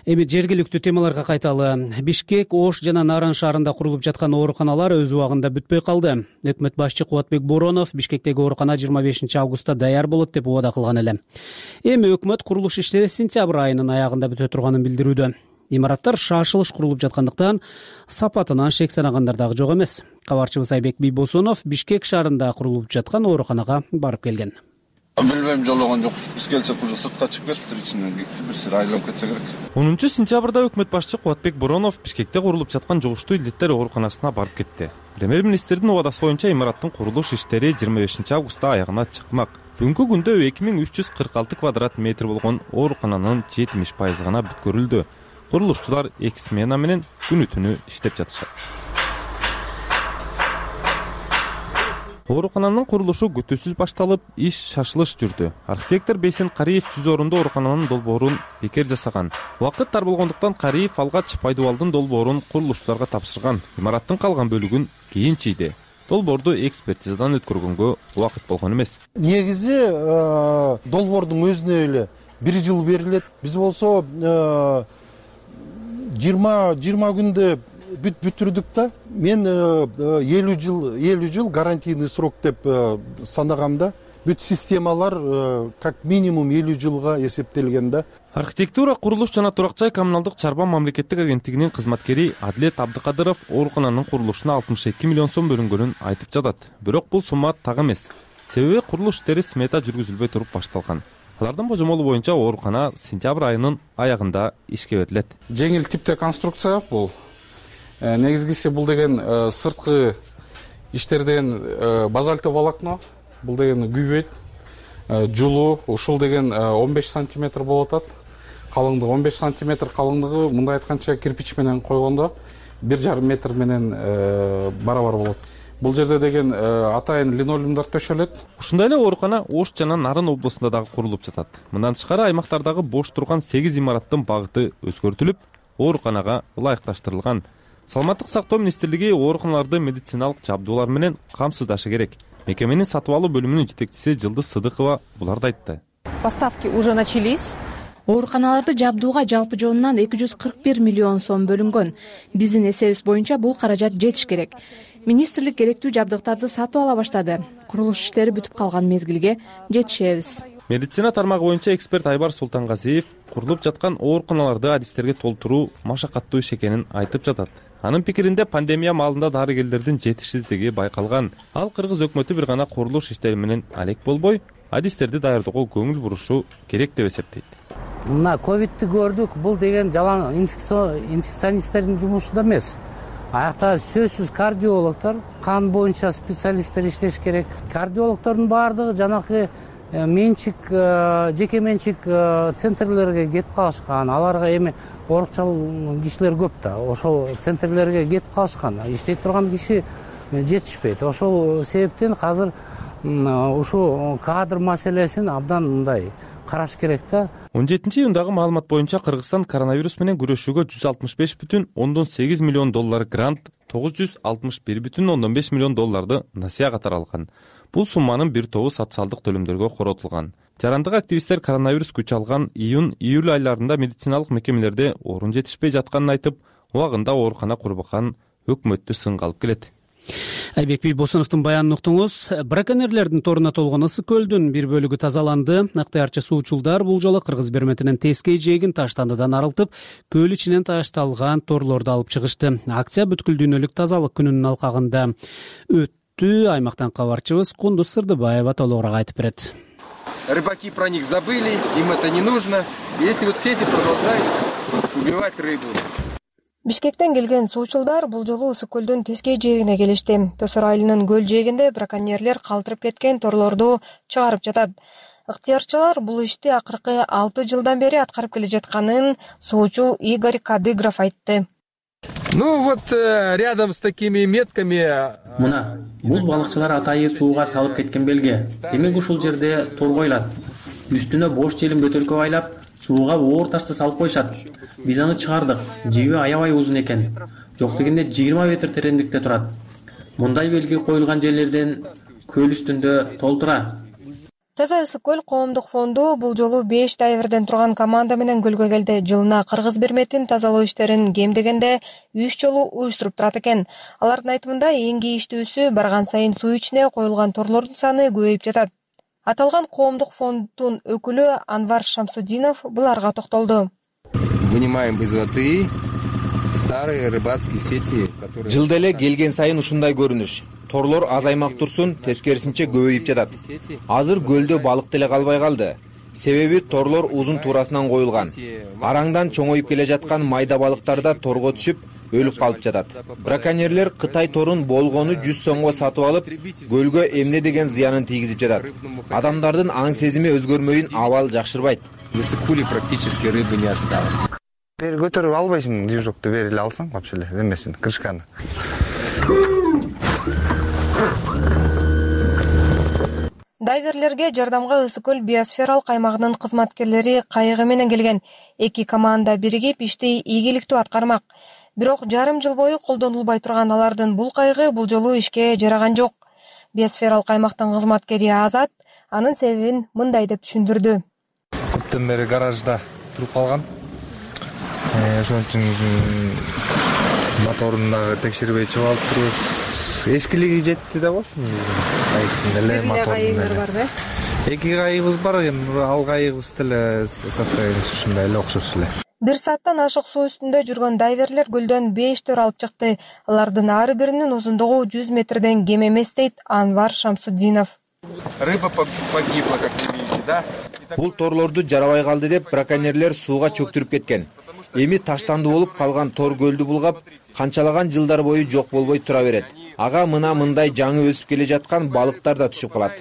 Эми жергиликтүү темаларга кайталы. Бишкек, Ош жана Наран шаарында курулуп жаткан ооруканалар өз убагында бүтпөй калды. Өкмөт башчы Кубатбек Боронов Бишкектеги оорукана 25 августта даяр болот деп убада кылган эле. Эми өкмөт курулуш иштери сентябрь айынын аягында бүтө турганын билдирүүдө. Имараттар шашылыш курулуп жаткандыктан сапатынан шек санагандар дагы жок эмес. Кабарчыбыз Айбек Бийбосунов Бишкек шаарында курулуп жаткан ооруканага барып келген. Билбейм, жологон жок. Биз келсек уже сыртка чыгып кетиптир, ичинен бир сыр айланып кетсе керек. 10 сентябрда өкмөт башчы Кубатбек Боронов Бишкекте курулуп жаткан жугуштуу илдеттер ооруканасына барып кетти. Премьер-министрдин убадасы боюнча имараттын курулуш иштери 25 августта аягына чыкмак. Бүгүнкү күндө 2346 квадрат метр болгон оорукананын 70% гана бүткөрүлдү. Курулушчулар 2 смена менен күнү-түнү иштеп жатышат. Оорукананын курулушу күтүүсүз башталып, иш шашылыш жүрдү. Архитектор Бейсен Кариев 100 орунду оорукананын долбоорун бекер жасаган. Убакыт тар болгондуктан Кариев алгач пайдубалдын долбоорун курулушчуларга тапшырган. Имараттын калган бөлүгүн кийин чийди. Долбоорду экспертизадан өткөргөнгө убакыт болгон эмес. Негизи долбоордун өзүнө эле 1 жыл берилет. Биз болсо 20 күндө бүтүрдүк да. Мен 50 жыл гарантийный срок деп санагамда. Бүт системалар как минимум 50 жылга эсептелген да. Архитектура, курулуш жана турак жай коммуналдык чарба мамлекеттик агенттигинин кызматкери Адилет Абдыкадыров оорукананын курулушуна 62 миллион сом бөлүнгөнүн айтып жатат. Бирок бул сумма так эмес. Себеби курулуш иштери смета жүргүзүлбөй туруп башталган. Алардын божомолу боюнча оорукана сентябрь айынын аягында ишке берилет. Жеңил типте конструкция бул. Негизгиси бул деген сырткы иштерден базальтовый волокно, бул деген күйбөйт. Жулуу ушул деген 15 сантиметр болуп атат. Калыңдыгы 15 сантиметр калыңдыгы, мындай айтканча кирпич менен койгондо 1,5 метр менен барабар болот. Бул жерде деген атайын линолеумдар төшөлөт. Ушундай эле оорукана Ош жана Нарын облусунда дагы курулуп жатат. Мындан тышкары аймактардагы бош турган 8 имараттын багыты өзгөртүлүп, ооруканага ылайыкташтырылган. Саламаттык сактоо министрлиги ооруканаларды медициналык жабдуулар менен камсыздашы керек. Мекеменин сатып алуу бөлүмүнүн жетекчиси Жылдыз Сыдыкова буларды айтты. Поставки уже начались. Ооруканаларды жабдууга жалпы жонунан 241 миллион сом бөлүнгөн. Биздин эсебибиз боюнча бул каражат жетиш керек. Министрлик керектүү жабдыктарды сатып ала баштады. Курулуш иштери бүтүп калган мезгилге жетишебиз. Медицина тармагы боюнча эксперт Айбар Султангазиев курулуп жаткан ооруканаларды адистерге толтуруу машакаттуу иш экенин айтып жатат. Анын пикиринде пандемия маалында дарыгерлердин жетишсиздиги байкалган. Ал кыргыз өкмөтү бир гана курулуш иштери менен алек болбой, адистерди даярдоого көңүл бурушу керек деп эсептейт. Мына ковидти көрдүк, бул деген жалаң инфекционисттердин жумушу да эмес. Аякта сөзсүз кардиологдор, кан боюнча специалисттер иштеш керек. Кардиологдордун баардыгы жанакы менчик, жеке менчик центрлерге кетип калышкан. Аларга эми оорукчал кишилер көп да. Ошол центрлерге кетип калышкан. Иштей турган киши жетишпейт. Ошол себептен азыр ушу кадр маселесин абдан мындай караш керек да. 17-июндагы маалымат боюнча Кыргызстан коронавирус менен күрөшүүгө 165,8 миллион доллар грант, 961,5 миллион долларды насыя катары алган. Бул сумманын бир тобу социалдык төлөмдөргө коротулган. Жарандык активисттер коронавирус күч алган июнь-июль айларында медициналык мекемелерде орун жетишпей жатканын айтып, убагында оорукана курбакан өкмөттү сынга алып келет. Айбек Бийбосуновдун баянын уктуңуз. Браконьерлердин торуна толгон Ысык көлдүн бир бөлүгү тазаланды. Ыктыярчы суучулдар бул жолу Кыргыз берметинен Тескей жээгин таштандыдан арылтып, көл ичинен ташталган торлорду алып чыгышты. Акция бүткүл дүйнөлүк тазалык күнүнүн алкагында өттү. Аймактан кабарчыбыз Кундуз Сырдыбаева толугураак айтып берет. Рыбаки про них забыли, им это не нужно. И эти вот сети продолжают убивать рыбу. Бишкектен келген суучулдар бул жолу Ысык көлдүн Тескей жээгине келишти. Тосор айылынын көл жээгинде браконьерлер калтырып кеткен торлорду чыгарып жатат. Ыктыярчылар бул ишти акыркы 6 жылдан бери аткарып келе жатканын суучул Игорь Кадыгров айтты. Ну вот рядом с такими метками. Мына, бул балыкчылар атайы сууга салып кеткен белге. Демек ушул жерде тор коюлат. Үстүнө бош желим бөтөлкө байлап, сууга оор ташты салып коюшат. Биз аны чыгардык. Жиби аябай узун экен. Жок дегенде 20 метр тереңдикте турат. Мындай белги коюлган жерлерден көл үстүндө толтура. Таза Ысык көл коомдук фонду бул жолу 5 дайверден турган команда менен көлгө келди. Жылына Кыргыз берметин тазалоо иштерин кем дегенде 3 жолу уюштуруп турат экен. Алардын айтымында эң кейиштүүсү барган сайын суу ичине коюлган торлордун саны көбөйүп жатат. Аталган коомдук фонддун өкүлү Анвар Шамсудинов буларга токтолду. Вынимаем из воды старые рыбацкие сети, которые... Жылда эле келген сайын ушундай көрүнүш. Торлор азаймак турсун, тескерисинче көбөйүп жатат. Азыр көлдө балык деле калбай калды. Себеби торлор узун туурасынан коюлган. Араңдан чоңоюп келе жаткан майда балыктар да торго түшүп, өлүп калып жатат. Браконьерлер Кытай торун болгону 100 сомго сатып алып, көлгө эмне деген зыянын тийгизип жатат. Адамдардын аң сезими өзгөрмөйүн абал жакшырбайт. В Ысык-куле практически рыбы не осталось. Бери көтөрүп албайсың, движокты бери эле алсаң, вообще эле эмесин, крышканы. Дайверлерге жардамга Ысык көл биосфералык аймагынын кызматкерлери кайыгы менен келген. Эки команда биригип ишти ийгиликтүү аткармак. Бирок жарым жыл бою колдонулбай турган алардын бул кайыгы бул жолу ишке жараган жок. Биосфералык аймактын кызматкери Азат анын себебин мындай деп түшүндүрдү. Көптөн бери гаражда туруп калган. Ошон үчүн моторун дагы текшербей чыгып алып турбуз. Эскилиги жетти да болчу. Кайыгыңар барбы? Эки кайыгыбыз бар, ал кайыгыбыз деле состояниясы ушундай эле, окшош эле. 1 сааттан ашык суу үстүндө жүргөн дайверлер көлдөн 5 төр алып чыкты. Алардын ар биринин узундугу 100 метрден кем эмес дейт Анвар Шамсудинов. Рыба погибла, как вы видите, да? Бул торлорду жарабай калды деп браконьерлер сууга чөктүрүп кеткен. Эми таштанды болуп калган тор көлдү булгап, канчалаган жылдар бою жок болбой тура берет. Ага мындай жаңы өсүп келе жаткан балыктар да түшүп калат.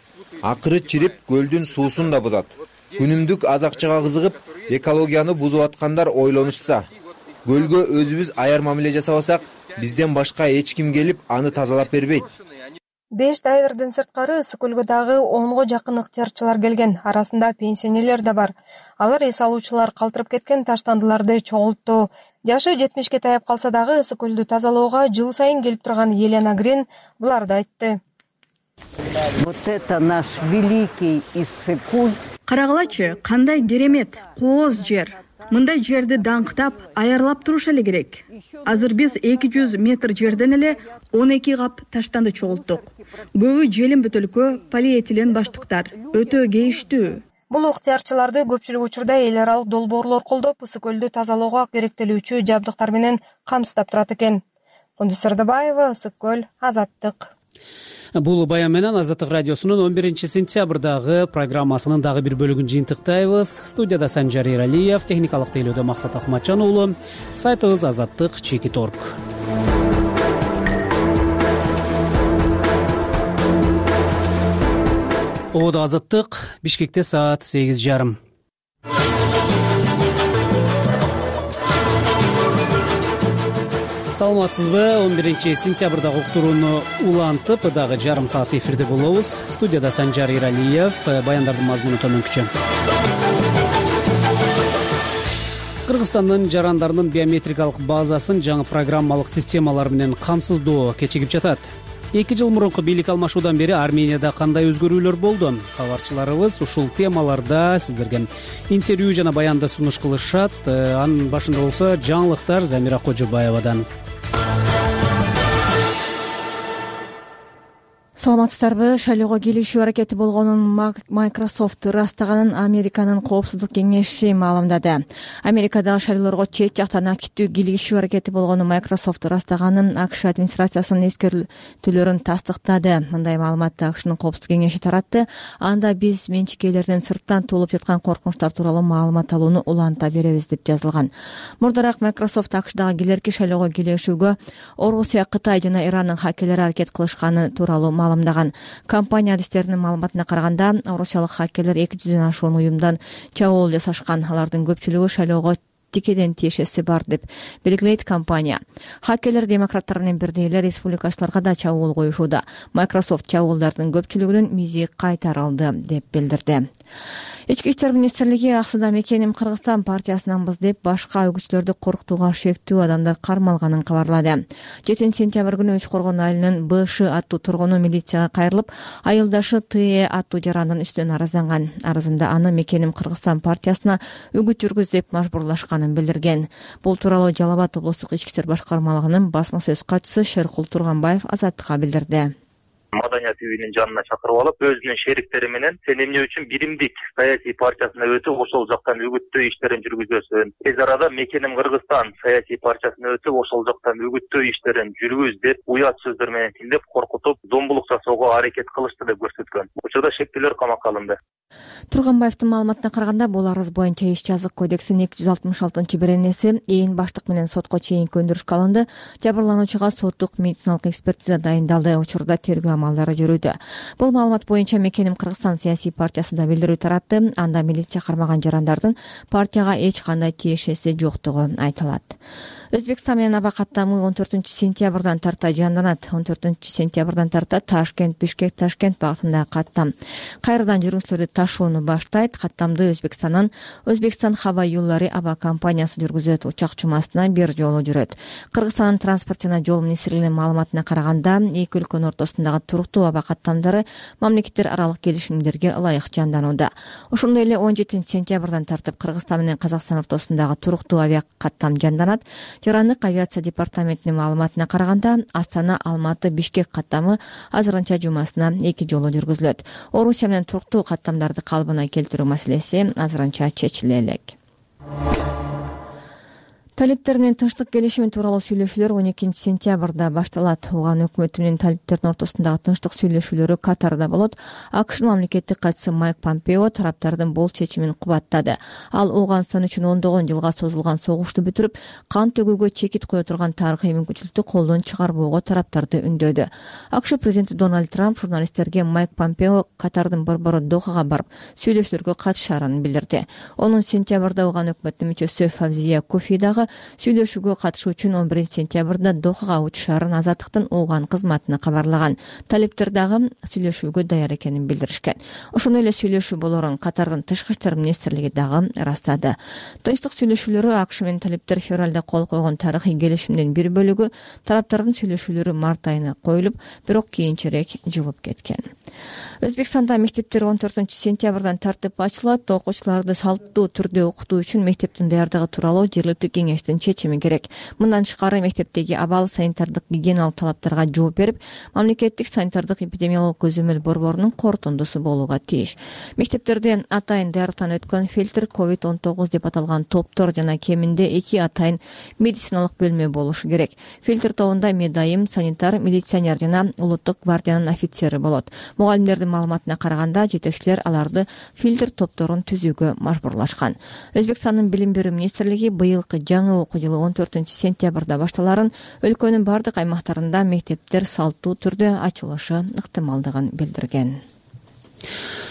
Акыры чирип көлдүн суусун да бузат. Күнүмдүк азакчыга кызыгып, экологияны бузуп аткандар ойлонушса, көлгө өзүбүз аяр мамиле жасабасак, бизден башка эч ким келип аны тазалап бербейт. 5 дайверден сырткары Ысык көлгө дагы 10го жакын ыктыярчылар келген. Арасында пенсионерлер да бар. Алар эс алуучулар калтырып кеткен таштандыларды чогултту. Жашы 70ке таяп калса дагы Ысык көлдү тазалоого жыл сайын келип турган Елена Грин буларды айтты. Вот это наш великий Ысык-куль. Карагылачы, кандай керемет, кооз жер. Мындай жерди даңктап, аярлап туруш эле керек. Азыр биз 200 метр жерден эле 12 кап таштанды чогулттук. Көбү желим бөтөлкө, полиэтилен баштыктар. Өтө кейиштүү. Бул ыктыярчыларды көпчүлүк учурда эл аралык долбоорлор колдоп, ысык көлдү тазалоого керектелүүчү жабдыктар менен камсыздап турат экен. Кундуз Сырдыбаева, Ысык көл, Азаттык. Бул баян менен Азаттык радиосунун 11 сентябрдагы программасынын дагы бир бөлүгүн жыйынтыктайбыз. Студияда Санжар Эралиев, техникалык тейлөөдө Максат Акматжан уулу. Сайтыбыз azаттык.org. Оодо Азаттык, Бишкекте саат 8:30. Саламатсызбы? 11 сентябрдагы уктурууну улантып, дагы жарым саат эфирде болобуз. Студияда Санжар Эралиев, баяндардын мазмуну төмөнкүчө. Кыргызстандын жарандарынын биометрикалык базасын жаңы программалык системалар менен камсыздоо кечигип жатат. 2 жыл мурунку бийлик алмашуудан бери Арменияда кандай өзгөрүүлөр болду? Кабарчыларыбыз ушул темаларда сиздерге интервью жана баянды сунуш кылышат. Анын башында болсо жаңылыктар Замира Кожобаевадан. Саламатсыздарбы? Шайлоого кийлигишүү аракети болгонун Microsoft ырастаганын Американын коопсуздук кеңеши маалымдады. Америкадагы шайлоолорго чет жактан активдүү кийлигишүү аракети болгону Microsoft ырастаганын АКШ администрациясынын эскертүүлөрүн тастыктады. Мындай маалыматты АКШнын коопсуздук кеңеши таратты. Анда биз менчикейлерден сырттан туулуп жаткан коркунучтар тууралуу маалымат алууну уланта беребиз деп жазылган. Мурдараак Microsoft АКШдагы келерки шайлоого кийлигишүүгө Орусия, Кытай жана Ирандын хакерлери аракет кылышканы тууралуу маалымдаган. Компания адистеринин маалыматына караганда, орусиялык хакерлер 200дөн ашуун уюмдан чабуул жасашкан. Алардын көпчүлүгү шайлоого тикеден тиешеси бар деп белгилейт компания. Хакерлер демократтар менен бирдей эле республикачыларга да чабуул коюшууда. Microsoft чабуулдардын көпчүлүгүнүн мизи кайтарылды деп билдирди. Ички иштер министрлиги аксыда мекеним Кыргызстан партиясынанбыз деп башка өгүчтөрдү коркутууга шектүү адамдар кармалганын кабарлады. 7 сентябрь күнү Үч Коргон айылынын БШ аттуу тургуну милицияга кайрылып, айылдашы ТЭ аттуу жарандын үстүнөн арызданган. Арызында аны мекеним Кыргызстан партиясына үгүт жүргүз деп мажбурлашканын билдирген. Бул тууралуу Жалал Абад облустук ички иштер башкармалыгынын басма сөз катчысы Шеркул Турганбаев Азаттыкка билдирди. Маданият үйүнүн жанына чакырып алып, өзүнүн шериктери менен сен эмне үчүн биримдик саясий партиясына өтүп, ошол жактан үгүттөө иштерин жүргүзөсүн. Тез арада мекеним Кыргызстан саясий партиясына өтүп, ошол жактан үгүттөө иштерин жүргүз деп уят сөздөр менен тилдеп коркутуп, зомбулук жасоого аракет кылышты деп көрсөткөн. Учурда шектүүлөр камакка алынды. Турганбаевдин маалыматына караганда, бул арыз боюнча иш жазык кодексинин 266-беренеси ээн баштык менен сотко чейинки өндүрүшкө алынды. Жабырлануучуга соттук медициналык экспертиза дайындалды. Учурда тергөө амалдары жүрүүдө. Бул маалымат боюнча мекеним Кыргызстан саясий партиясы да билдирүү таратты. Анда милиция кармаган жарандардын партияга эч кандай тиешеси жоктугу айтылат. Өзбекстан менен аба каттамы 14 сентябрдан тарта жанданат. 14 сентябрдан тарта Ташкент, Бишкек, Ташкент багытындагы каттам кайрадан жүргүнчүлөрдү ташууну баштайт. Каттамды Өзбекстандан Өзбекстан хаба юллары аба компаниясы жүргүзөт. Учак жумасына бир жолу жүрөт. Кыргызстандын транспорт жана жол министрлигинин маалыматына караганда, эки өлкөнүн ортосундагы туруктуу аба каттамдары мамлекеттер аралык келишимдерге ылайык жанданууда. Ошондой эле 17 сентябрдан тартып Кыргызстан менен Казакстан ортосундагы туруктуу авиа каттам жанданат. Жарандык авиация департаментинин маалыматына караганда, Астана, Алматы, Бишкек каттамы азырынча жумасына 2 жолу жүргүзүлөт. Орусия менен туруктуу каттамдарды калыбына келтирүү маселеси азырынча чечиле элек. Талиптер менен тынчтык келишими тууралуу сүйлөшүүлөр 12 сентябрда башталат. Уган өкмөтү менен талиптердин ортосундагы тынчтык сүйлөшүүлөрү Катарда болот. АКШнын мамлекеттик катчысы Майк Помпео тараптардын бул чечимин кубаттады. Ал Ооганстан үчүн ондогон жылга созулган согушту бүтүрүп, кан төгүүгө чекит кое турган тарыхый мүмкүнчүлүктү колдон чыгарбоого тараптарды үндөдү. АКШ президенти Дональд Трамп журналисттерге Майк Помпео Катардын борбору Дохага барып, сүйлөшүүлөргө катышаарын билдирди. Онун сентябрда Уган өкмөтүнүн мүчөсү Фавзия Кофи дагы сүйлөшүүгө катышуу үчүн 11 сентябрда Дохага учушаарын Азаттыктын Уган кызматына кабарлаган. Талиптер дагы сүйлөшүүгө даяр экенин билдиришкен. Ошондой эле сүйлөшүү болорун Катардын тышкы иштер министрлиги дагы ырастады. Тынчтык сүйлөшүүлөрү АКШ менен талиптер февралда кол койгон тарыхый келишимдин бир бөлүгү. Тараптардын сүйлөшүүлөрү март айына коюлуп, бирок кийинчерээк жылып кеткен. Өзбекстанда мектептер 14-сентябрдан тартып ачылат. Окуучуларды салттуу түрдө окутуу үчүн мектептин даярдыгы тууралуу жергиликтүү кеңештин чечими керек. Мындан тышкары мектептеги абал санитардык гигиеналык талаптарга жооп берип, мамлекеттик санитардык эпидемиологиялык көзөмөл борборунун корутундусу болууга тийиш. Мектептерде атайын даярдыктан өткөн фильтр, COVID-19 деп аталган топтор жана кеминде 2 атайын медициналык бөлмө болушу керек. Фильтр тобунда медайым, санитар, милиционер жана улуттук гвардиянын офицери болот. Мугалимдердин маалыматына караганда, жетекчилер аларды фильтр топторун түзүүгө мажбурлашкан. Өзбекстандын билим берүү министрлиги быйылкы жаңы окуу жылы 14-сентябрда башталарын, өлкөнүн бардык аймактарында мектептер салттуу түрдө ачылышы ыктымалдыгын билдирген.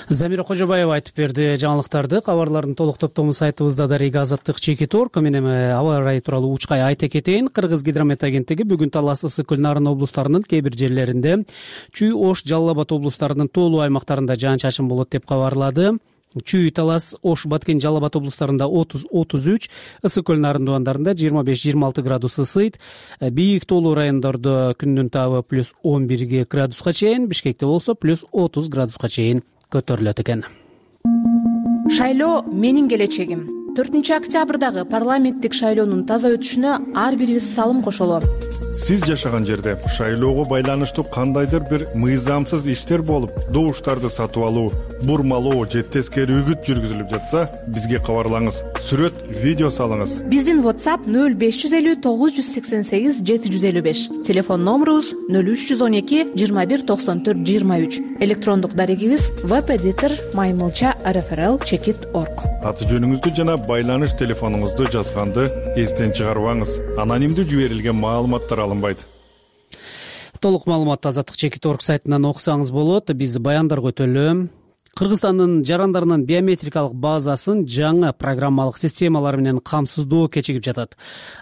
Замира Кожобаева айтып берди жаңылыктарды. Кабарлардын толук топтому сайтыбызда да Рига Азаттык Чекит.орг. Мен эми аба ырайы тууралуу учкай айта кетейин. Кыргыз гидромет агенттиги бүгүн Талас, Ысык Көл, Нарын облустарынын кээ бир жерлеринде, Чүй, Ош, Жалал Абад облустарынын тоолуу аймактарында жаан-чачын болот деп кабарлады. Чүй, Талас, Ош, Баткен, Жалал Абад облустарында 30-33, Ысык Көл, Нарын дубандарында 25-26 градус ысыйт. Бийик тоолуу райондордо күндүн табы плюс 11 градуска чейин, Бишкекте болсо плюс 30 градуска чейин көтөрүлөт экен. Шайлоо менин келечегим. 4-октябрдагы парламенттик шайлоонун таза өтүшүнө ар бирибиз салым кошолу. Сиз жашаган жерде шайлоого байланыштуу кандайдыр бир мыйзамсыз иштер болуп, добуштарды сатып алуу, бурмалоо же тескери үгүт жүргүзүлүп жатса, бизге кабарлаңыз. Сүрөт, видео салыңыз. Биздин WhatsApp 0550 988 755. Телефон номерубуз 0312 21 94 23. Электрондук дарегибиз webeditor@rfrl.chekit.org. Аты жөнүңүздү жана байланыш телефонуңузду жазганды эстен чыгарбаңыз. Анонимдүү жиберилген маалыматтар алынбайт. Толук маалыматты Азаттык Чекит.орг сайтынан окусаңыз болот. Биз баяндарга өтөлү. Кыргызстандын жарандарынын биометрикалык базасын жаңы программалык системалар менен камсыздоо кечигип жатат.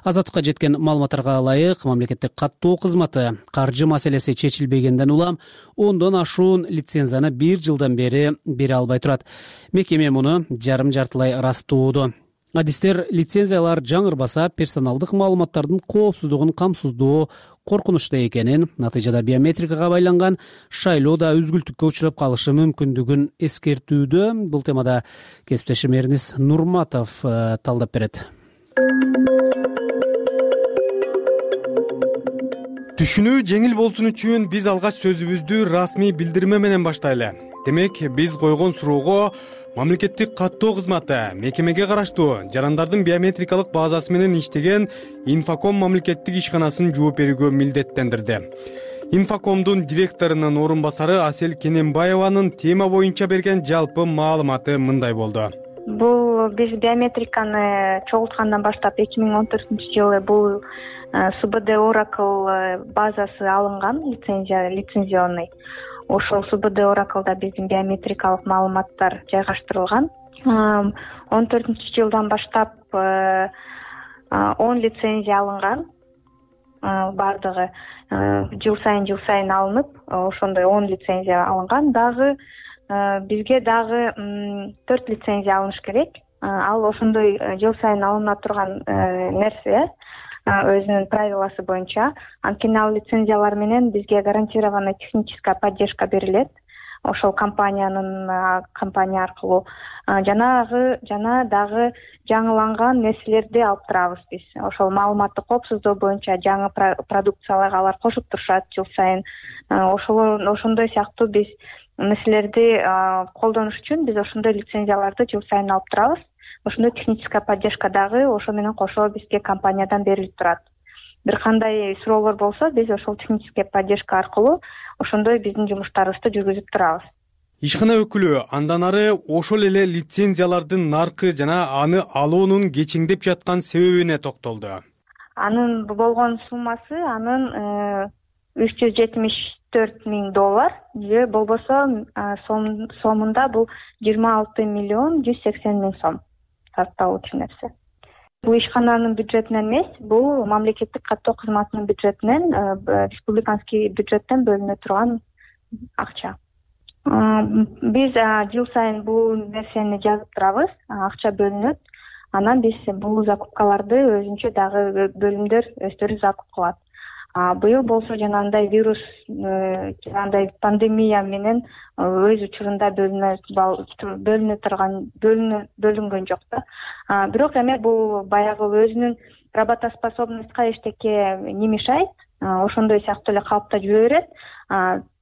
Азаттыкка жеткен маалыматтарга ылайык, мамлекеттик каттоо кызматы каржы маселеси чечилбегенден улам 10дон ашуун лицензияны 1 жылдан бери бере албай турат. Мекеме муну жарым-жартылай ырастоодо. Адистер лицензиялар жаңырбаса персоналдык маалыматтардын коопсуздугун камсыздоо коркунучта экенин, натыйжада биометрикага байланган шайлоо да үзгүлтүккө учурап калышы мүмкүндүгүн эскертүүдө. Бул темада кесиптешим Эрнис Нурматов талдап берет. Түшүнүү жеңил болсун үчүн биз алгач сөзүбүздү расмий билдирме менен баштайлы. Демек, биз койгон суроого мамлекеттик каттоо кызматы мекемеге караштуу жарандардын биометрикалык базасы менен иштеген Инфоком мамлекеттик ишканасын жооп берүүгө милдеттендирди. Инфокомдун директорунун орун басары Асел Кененбаеванын тема боюнча берген жалпы маалыматы мындай болду. Бул биз биометриканы чогулткандан баштап 2014-жылы бул СБД Oracle базасы алынган, лицензионный. Ошол СБД Oracle'да биздин биометрикалык маалыматтар жайгаштырылган. 14-жылдан баштап 10 лицензия алынган. Бардыгы жыл сайын алынып, ошондой 10 лицензия алынган. Дагы бизге дагы 4 лицензия алыныш керек. Ал ошондой жыл сайын алына турган нерсе. Өзүнүн правиласы боюнча. Анткени ал лицензиялар менен бизге гарантированная техническая поддержка берилет. Ошол компания аркылуу жана дагы жаңыланган нерселерди алып турабыз биз. Ошол маалыматты коопсуздоо боюнча жаңы продукцияларга алар кошуп турушат жыл сайын. Ошондой сыяктуу биз нерселерди колдонуш үчүн биз ошондой лицензияларды жыл сайын алып турабыз. Ошондой техническая поддержка дагы ошо менен кошо бизге компаниядан берилип турат. Бир кандай суроолор болсо, биз ошол техническая поддержка аркылуу ошондой биздин жумуштарыбызды жүргүзүп турабыз. Ишкана өкүлү андан ары ошол эле лицензиялардын наркы жана аны алуунун кечеңдеп жаткан себебине токтолду. Анын болгон суммасы $374,000 же болбосо сомунда бул 26,180,000 сом. Тартталуучу нерсе. Бул ишкананын бюджетинен эмес, бул мамлекеттик каттоо кызматынын бюджетинен, республиканский бюджеттен бөлүнө турган акча. Биз жыл сайын бул нерсени жазып турабыз, акча бөлүнөт. Анан биз бул закупкаларды өзүнчө дагы бөлүмдөр өздөрү закуп кылат. Быйыл болсо жанагындай вирус жанагындай пандемия менен өз учурунда бөлүнгөн жок да. Бирок эми бул баягы өзүнүн работоспособностька эчтеке немешайт, ошондой сыяктуу эле калыпта жүрө берет.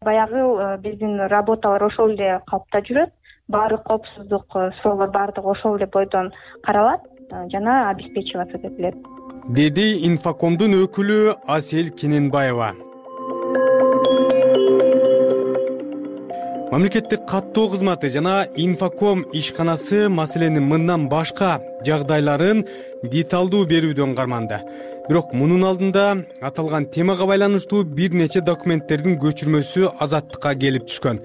Баягы биздин работалар ошол эле калыпта жүрөт. Баары коопсуздук суроолор баардыгы ошол эле бойдон каралат жана обеспечиваться этилет, деди Инфокомдун өкүлү Асель Кененбаева. Мамлекеттик каттоо кызматы жана Инфоком ишканасы маселенин мындан башка жагдайларын деталдуу берүүдөн карманды. Бирок мунун алдында аталган темага байланыштуу бир нече документтердин көчүрмөсү Азаттыкка келип түшкөн.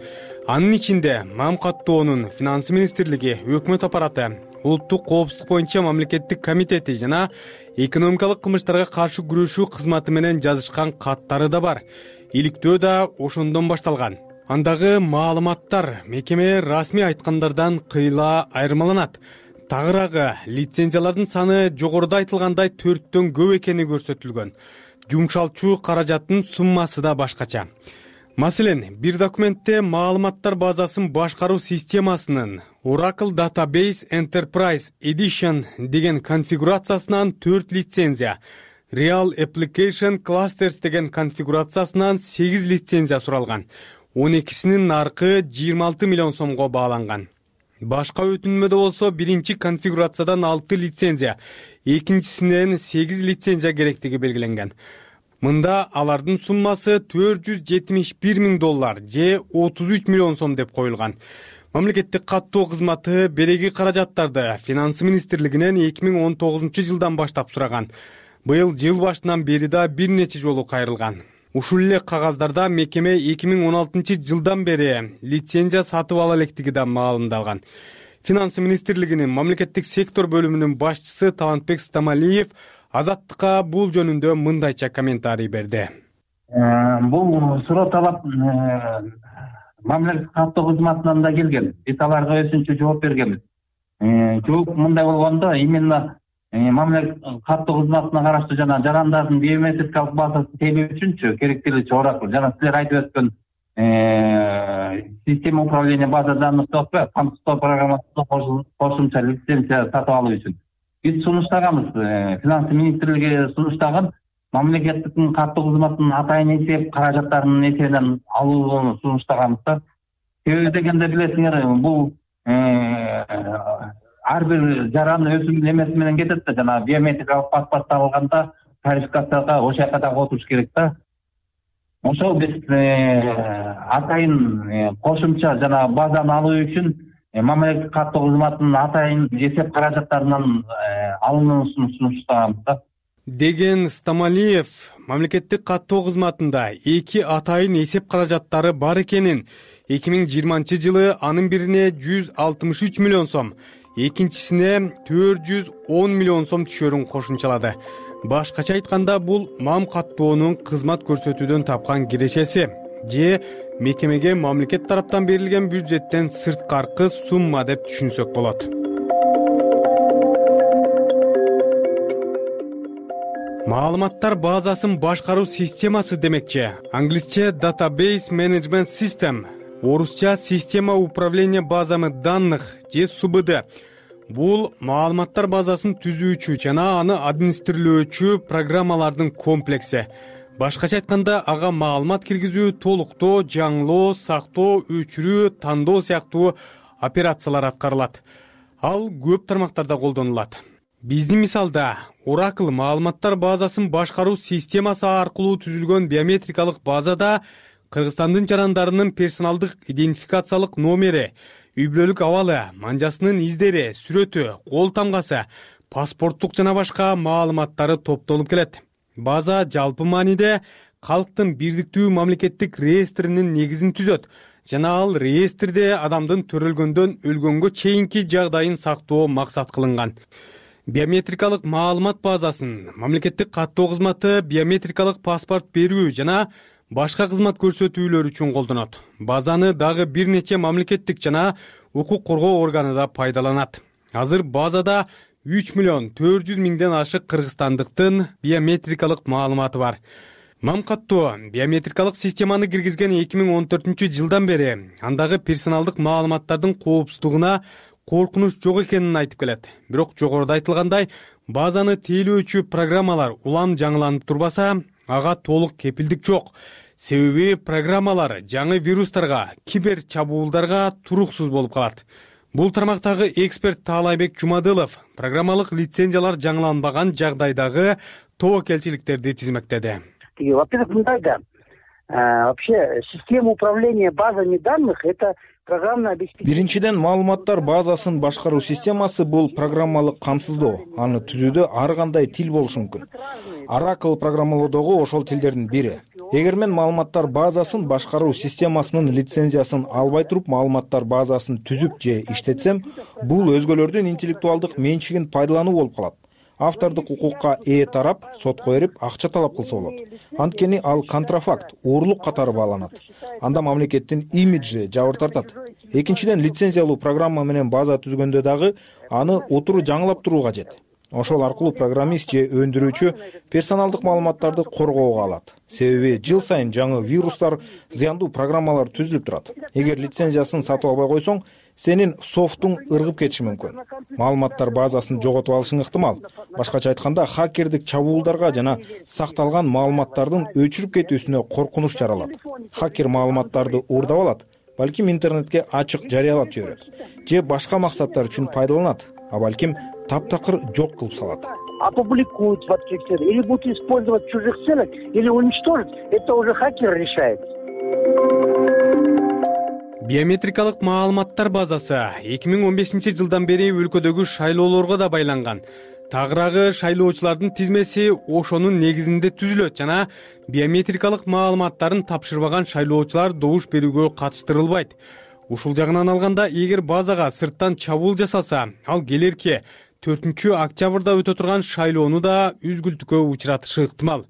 Анын ичинде МАМ каттоонун Финансы министрлиги, өкмөт аппараты, Улуттук коопсуздук боюнча мамлекеттик комитети жана экономикалык кылмыштарга каршы күрөшүү кызматы менен жазышкан каттары да бар. Иликтөө да ошондон башталган. Андагы маалыматтар мекеме расмий айткандардан кыйла айырмаланат. Тагыраагы лицензиялардын саны жогоруда айтылгандай 4төн көп экени көрсөтүлгөн. Жумшалчу каражаттын суммасы да башкача. Маселен, бир документте маалыматтар базасын башкаруу системасынын Oracle Database Enterprise Edition деген конфигурациясынан 4 лицензия, Real Application Clusters деген конфигурациясынан 8 лицензия суралган. 12синин наркы 26 миллион сомго бааланган. Башка өтүнмөдө болсо биринчи конфигурациядан 6 лицензия, экинчисинен 8 лицензия керектиги белгиленген. Мында алардын суммасы $471 миң же 33 миллион сом деп коюлган. Мамлекеттик каттоо кызматы береги каражаттарды Финансы министрлигинен 2019 жылдан баштап сураган. Быйыл жыл башынан бери да бир нече жолу кайрылган. Ушул эле кагаздарда мекеме 2016 жылдан бери лицензия сатып ала электиги да маалымдалган. Финансы министрлигинин мамлекеттик сектор бөлүмүнүн башчысы Талантбек Стамалиев Азаттыкка бул жөнүндө мындайча комментарий берди. Бул суроо талап мамлекеттик каттоо кызматынан да келген. Биз аларга өзүнчө жооп бергенбиз. Жооп мындай болгондо, именно мамлекеттик каттоо кызматына караштуу жана жарандардын биометрикалык базасын тейлөө үчүнчү керектелүүчү Oracle жана силер айтып өткөн система управления база данных софтвер камсыздоо программасына кошумча лицензия сатып алуу үчүн биз сунуштаганбыз. Финансы министрлиги сунуштаган мамлекеттик каттоо кызматынын атайын эсеп каражаттарынын эсебинен алууну сунуштаганбыз. Себеби дегенде билесиңер, бул ар бир жаран өзүнүн эмеси менен кетет да, жана биометрикалык паспорт табылганда тарификацияга ошол жака дагы отуруш керек да. Ошол биз атайын кошумча жана базаны алуу үчүн мамлекеттик каттоо кызматынын атайын эсеп каражаттарынан алынуусун сунуштаганбыз да, деген Стамалиев мамлекеттик каттоо кызматында 2 атайын эсеп каражаттары бар экенин, 2020 жылы анын бирине 163 миллион сом, экинчисине 410 миллион сом түшөрүн кошумчалады. Башкача айтканда, бул МАМ каттоонун кызмат көрсөтүүдөн тапкан кирешеси же мекемеге мамлекет тараптан берилген бюджеттен сырткаркы сумма деп түшүнсөк болот. Маалыматтар базасын башкаруу системасы демекчи. Англисче Database Management System, орусча система управления базами данных же СУБД. Бул маалыматтар базасын түзүүчү жана аны администрировчу программалардын комплекси. Башкача айтканда, ага маалымат киргизүү, толуктоо, жаңылоо, сактоо, өчүрүү, тандоо сыяктуу операциялар аткарылат. Ал көп тармактарда колдонулат. Биздин мисалда Oracle маалыматтар базасын башкаруу системасы аркылуу түзүлгөн биометрикалык базада Кыргызстандын жарандарынын персоналдык идентификациялык номери, үй-бүлөлүк абалы, манжасынын издери, сүрөтү, кол тамгасы, паспорттук жана башка маалыматтары топтолуп келет. База жалпы мааниде калктын бирдиктүү мамлекеттик реестринин негизин түзөт жана ал реестрде адамдын төрөлгөндөн өлгөнгө чейинки жагдайын сактоо максат кылынган. Биометрикалык маалымат базасын мамлекеттик каттоо кызматы биометрикалык паспорт берүү жана башка кызмат көрсөтүүлөр үчүн колдонот. Базаны дагы бир нече мамлекеттик жана укук коргоо органы да пайдаланат. Азыр базада 3 миллион 400 миңден ашык кыргызстандыктын биометрикалык маалыматы бар. Мам каттоо биометрикалык системаны киргизген 2014-жылдан бери андагы персоналдык маалыматтардын коопсуздугуна коркунуч жок экенин айтып келет. Бирок жогоруда айтылгандай, базаны тейлөөчү программалар улам жаңыланып турбаса, ага толук кепилдик жок. Себеби программалар жаңы вирустарга, кибер чабуулдарга туруксуз болуп калат. Бул тармактагы эксперт Таалайбек Жумадылов программалык лицензиялар жаңыланбаган жагдайдагы тобокелчиликтерди тизмектеди. Во-первых, мындай да, вообще система управления базами данных — это программное обеспечение. Биринчиден, маалыматтар базасын башкаруу системасы бул программалык камсыздоо. Аны түзүүдө ар кандай тил болушу мүмкүн. Oracle программалоодогу ошол тилдердин бири. Эгер мен маалыматтар базасын башкаруу системасынын лицензиясын албай туруп маалыматтар базасын түзүп же иштетсем, бул өзгөлөрдүн интеллектуалдык менчигин пайдалануу болуп калат. Автордук укукка ээ тарап сотко берип акча талап кылса болот. Анткени ал контрафакт, уурлук катары бааланат. Анда мамлекеттин имиджи жабыр тартат. Экинчиден, лицензиялуу программа менен база түзгөндө дагы аны отуру жаңылап туруу кажет. Ошол аркылуу программист же өндүрүүчү персоналдык маалыматтарды коргоого алат. Себеби жыл сайын жаңы вирустар, зыяндуу программалар түзүлүп турат. Эгер лицензиясын сатып албай койсоң, сенин софтуң ыргып кетиши мүмкүн. Маалыматтар базасын жоготуп алышың ыктымал. Башкача айтканда, хакердик чабуулдарга жана сакталган маалыматтардын өчүрүп кетүүсүнө коркунуч жаралат. Хакер маалыматтарды уурдап алат, балким интернетке ачык жарыялап жиберет, же башка максаттар үчүн пайдаланат, а балким таптакыр жок кылып салат. Опубликуют в открытых целях, или будут использовать в чужих целях, или уничтожить, это уже хакер решает. Биометрикалык маалыматтар базасы 2015-жылдан бери өлкөдөгү шайлоолорго да байланган. Тагыраагы шайлоочулардын тизмеси ошонун негизинде түзүлөт жана биометрикалык маалыматтарын тапшырбаган шайлоочулар добуш берүүгө катыштырылбайт. Ушул жагынан алганда, эгер базага сырттан чабуул жасалса, ал келерки 4-октябрда өтө турган шайлоону да үзгүлтүккө учуратышы ыктымал.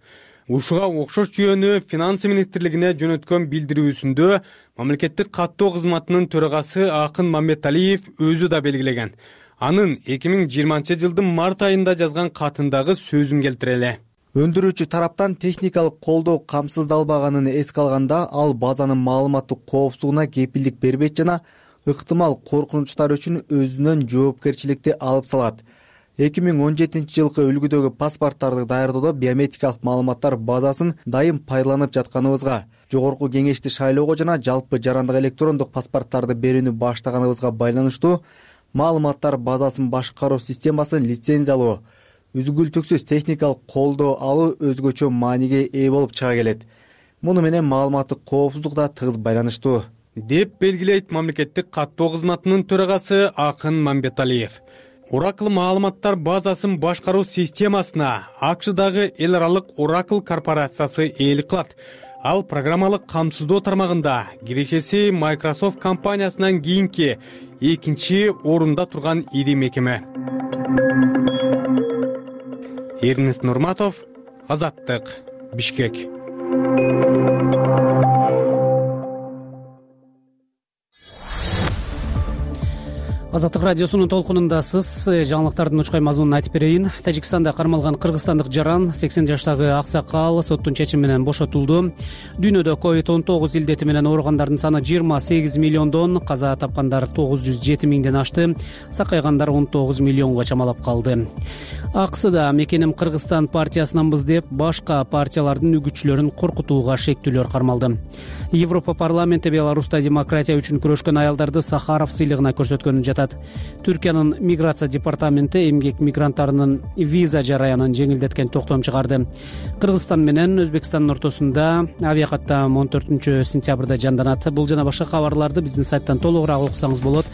Ушуга окшош жүйөнү Финансы министрлигине жөнөткөн билдирүүсүндө мамлекеттик каттоо кызматынын төрагасы Акын Мамбеталиев өзү да белгилеген. Анын 2020-жылдын март айында жазган катындагы сөзүн келтирели. Өндүрүүчү тараптан техникалык колдоо камсыздалбаганын эске алганда, ал базанын маалыматтык коопсуздугуна кепилдик бербейт жана ыктымал коркунучтар үчүн өзүнөн жоопкерчиликти алып салат. 2017-жылкы үлгүдөгү паспорттарды даярдоодо биометрикалык маалыматтар базасын дайым пайдаланып жатканыбызга, жогорку кеңешти шайлоого жана жалпы жарандык электрондук паспорттарды берүүнү баштаганыбызга байланыштуу маалыматтар базасын башкаруу системасын лицензиялоо, үзгүлтүксүз техникалык колдоо алуу өзгөчө мааниге ээ болуп чыга келет. Муну менен маалыматтык коопсуздук да тыгыз байланыштуу, деп белгилейт мамлекеттик каттоо кызматынын төрагасы Акын Мамбеталиев. Oracle маалыматтар базасын башкаруу системасына АКШдагы эл аралык Oracle корпорациясы ээлик кылат. Ал программалык камсыздоо тармагында кирешеси Microsoft компаниясынан кийинки экинчи орунда турган ири мекеме. Эрнест Нурматов, Азаттык, Бишкек. Азаттык радиосунун толкунундасыз. Жаңылыктардын учкай мазмунун айтып берейин. Тажикстанда кармалган кыргызстандык жаран 80 жаштагы аксакал соттун чечими менен бошотулду. Дүйнөдө COVID-19 илдети менен ооругандардын саны 28 миллиондон, каза тапкандар 907 миңден ашты, сакайгандар 19 миллионго чамалап калды. АКСда мекеним Кыргызстан партиясынанбыз деп башка партиялардын үгүтчүлөрүн коркутууга шектүүлөр кармалды. Европа парламенти Беларуста демократия үчүн күрөшкөн аялдарды Сахаров сыйлыгына көрсөткөнүн жатат. Түркиянын миграция департаменти эмгек мигранттарынын виза жараянын жеңилдеткен токтом чыгарды. Кыргызстан менен Өзбекстандын ортосунда авиакаттам 14-сентябрда жанданат. Бул жана башка кабарларды биздин сайттан толугураак окусаңыз болот.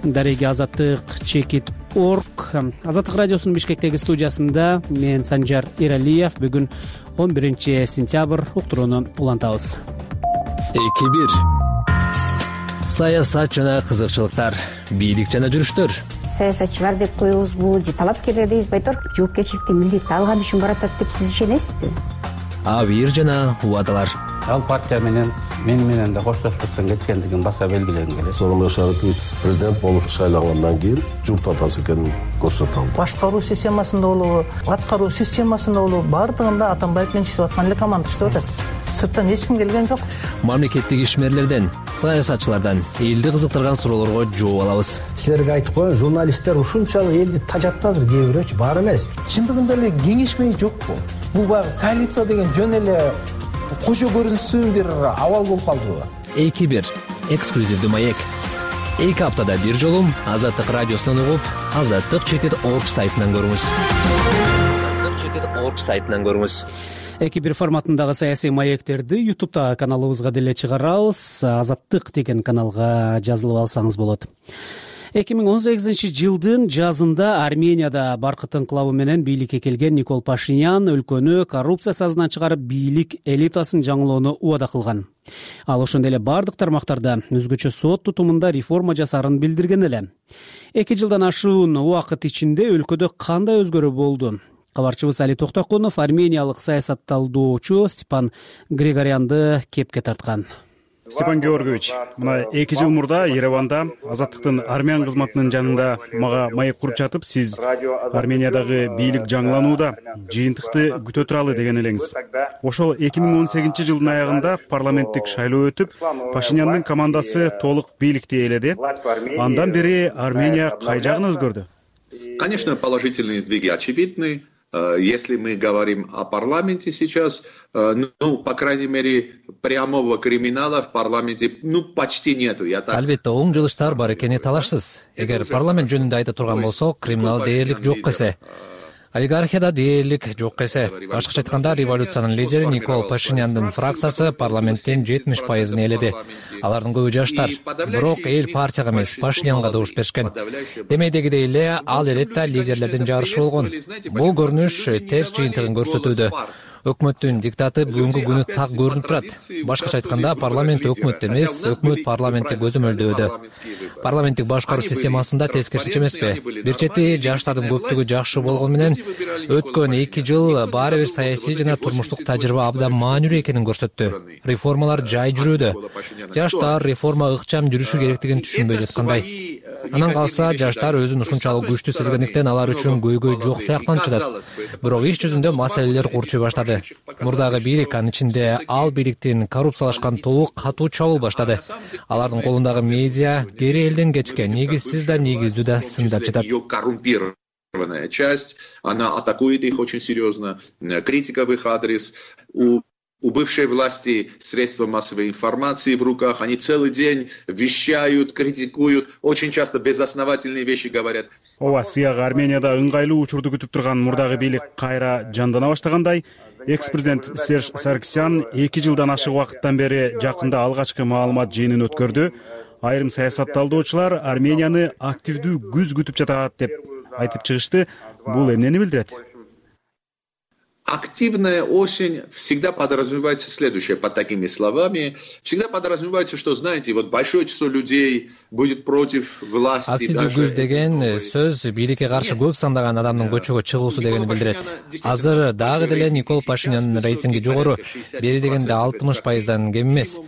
Дареги Азаттык Чекит.орг. Азаттык радиосунун Бишкектеги студиясында мен Санжар Эралиев. Бүгүн 11-сентябрь уктурууну улантабыз. 2-1. Саясат жана кызыкчылыктар, бийлик жана жүрүштөр. Саясатчылар деп коебузбу же талапкерлер дейбизби айтор, жоопкерчиликти милдетти алган үчүн баратат деп сиз ишенесизби? абийир жана убадалар. Ал партия менен да коштошпостон кеткендигин баса белгилегим келет. Сооронбай Шарипович президент болуп шайлангандан кийин журт атасы экенин көрсөтө алды. Башкаруу системасында болобу, аткаруу системасында болобу, баардыгында Атамбаев менен иштеп аткан эле команда иштеп атат. Сырттан эч ким келген жок. Мамлекеттик ишмерлерден, саясатчылардан элди кызыктырган суроолорго жооп алабыз. Силерге айтып коеюн, журналисттер ушунчалык элди тажатты азыр, кээ бирөөчү бар эмес. Чындыгында эле кеңешмей жокпу? Бул баягы коалиция деген жөн эле кожо көрүнсүн бир абал болуп калдыбы? 2-1 эксклюзивдүү маек. 2 аптада бир жолу Азаттык радиосунан угуп, azattik.org сайтынан көрүңүз. azattik.org сайтынан көрүңүз. 2-1 форматындагы саясий маектерди YouTube'да каналыбызга деле чыгарабыз. Азаттык деген каналга жазылып алсаңыз болот. 2018-жылдын жазында Арменияда баркыт инкылабы менен бийликке келген Никол Пашинян өлкөнү коррупция сазынан чыгарып, бийлик элитасын жаңылоону убада кылган. Ал ошондой эле бардык тармактарда өзгөчө сот тутумунда реформа жасаарын билдирген эле. 2 жылдан ашуун убакыт ичинде өлкөдө кандай өзгөрүү болду? Кабарчыбыз Али Токтокунов армениялык саясатталдоочу Степан Григорянды кепке тарткан. Степан Георгиевич, мына 2 жыл мурда Ереванда Азаттыктын армян кызматынын жанында мага маек куруп жатып, сиз Армениядагы бийлик жаңыланууда жыйынтыкты күтө туралы деген элеңиз. Ошол 2018-жылдын аягында парламенттик шайлоо өтүп, Пашиняндын командасы толук бийликти ээледи. Андан бери Армения кай жагын өзгөрдү? Конечно, положительные сдвиги очевидны. Если мы говорим о парламенте сейчас, по крайней мере, прямого криминала в парламенте, почти нету. Албетте, оң жылыштар бар экени талашсыз. Эгер парламент жөнүндө айта турган болсок, криминал дээрлик жок эсе. Олигархияда дээрлик жок эсе. Башкача айтканда, революциянын лидери Никол Пашиняндын фракциясы парламенттин 70% ээледи. Алардын көбү жаштар. Бирок эл партияга эмес, Пашинянга добуш беришкен. Демейдегидей эле ал эретте лидерлердин жарышы болгон. Бул көрүнүш терс жыйынтыгын көрсөтүүдө. Өкмөттүн диктаты бүгүнкү күнү так көрүнүп турат. Башкача айтканда, парламент өкмөт эмес, өкмөт парламентти көзөмөлдөөдө. Парламенттик башкаруу системасында тескерисинче эмеспи? Бир чети жаштардын көптүгү жакшы болгону менен өткөн 2 жыл баары бир саясий жана турмуштук тажрыйба абдан маанилүү экенин көрсөттү. Реформалар жай жүрүүдө. Жаштар реформа ыкчам жүрүшү керектигин түшүнбөй жаткандай. Анан калса, жаштар өзүн ушунчалык күчтүү сезгендиктен алар үчүн көйгөй жок сыяктанчыдат. Бирок иш жүзүндө маселелер курчуй баштады. Мурдагы бийлик, анын ичинде ал бийликтин коррупциялашкан тобу катуу чабуул баштады. Алардын колундагы медиа кери элден кечкен, негизсиз да негиздүү да сындап жатат. Часть, она атакует их очень серьезно, критика в их адрес. У бывшей власти средства массовой информации в руках, они целый день вещают, критикуют, очень часто безосновательные вещи говорят. Ооба, сыяга Арменияда ыңгайлуу учурду күтүп турган мурдагы бийлик кайра жандана баштагандай, экс-президент Серж Саркисян 2 жылдан ашык убакыттан бери жакында алгачкы маалымат жыйынын өткөрдү. Айрым саясатталдоочулар Арменияны активдүү күз күтүп жатат деп айтып чыгышты. Бул эмнени билдирет? Активная осень всегда подразумевается следующее под такими словами. Всегда подразумевается, что, знаете, вот большое число людей будет против власти. Активдүү күз деген сөз бийликке каршы көп сандаган адамдын көчөгө чыгуусу дегени билдирет. Азыр дагы деле Никол Пашинянын рейтинги жогору, бери дегенде 60%дан кем эмес.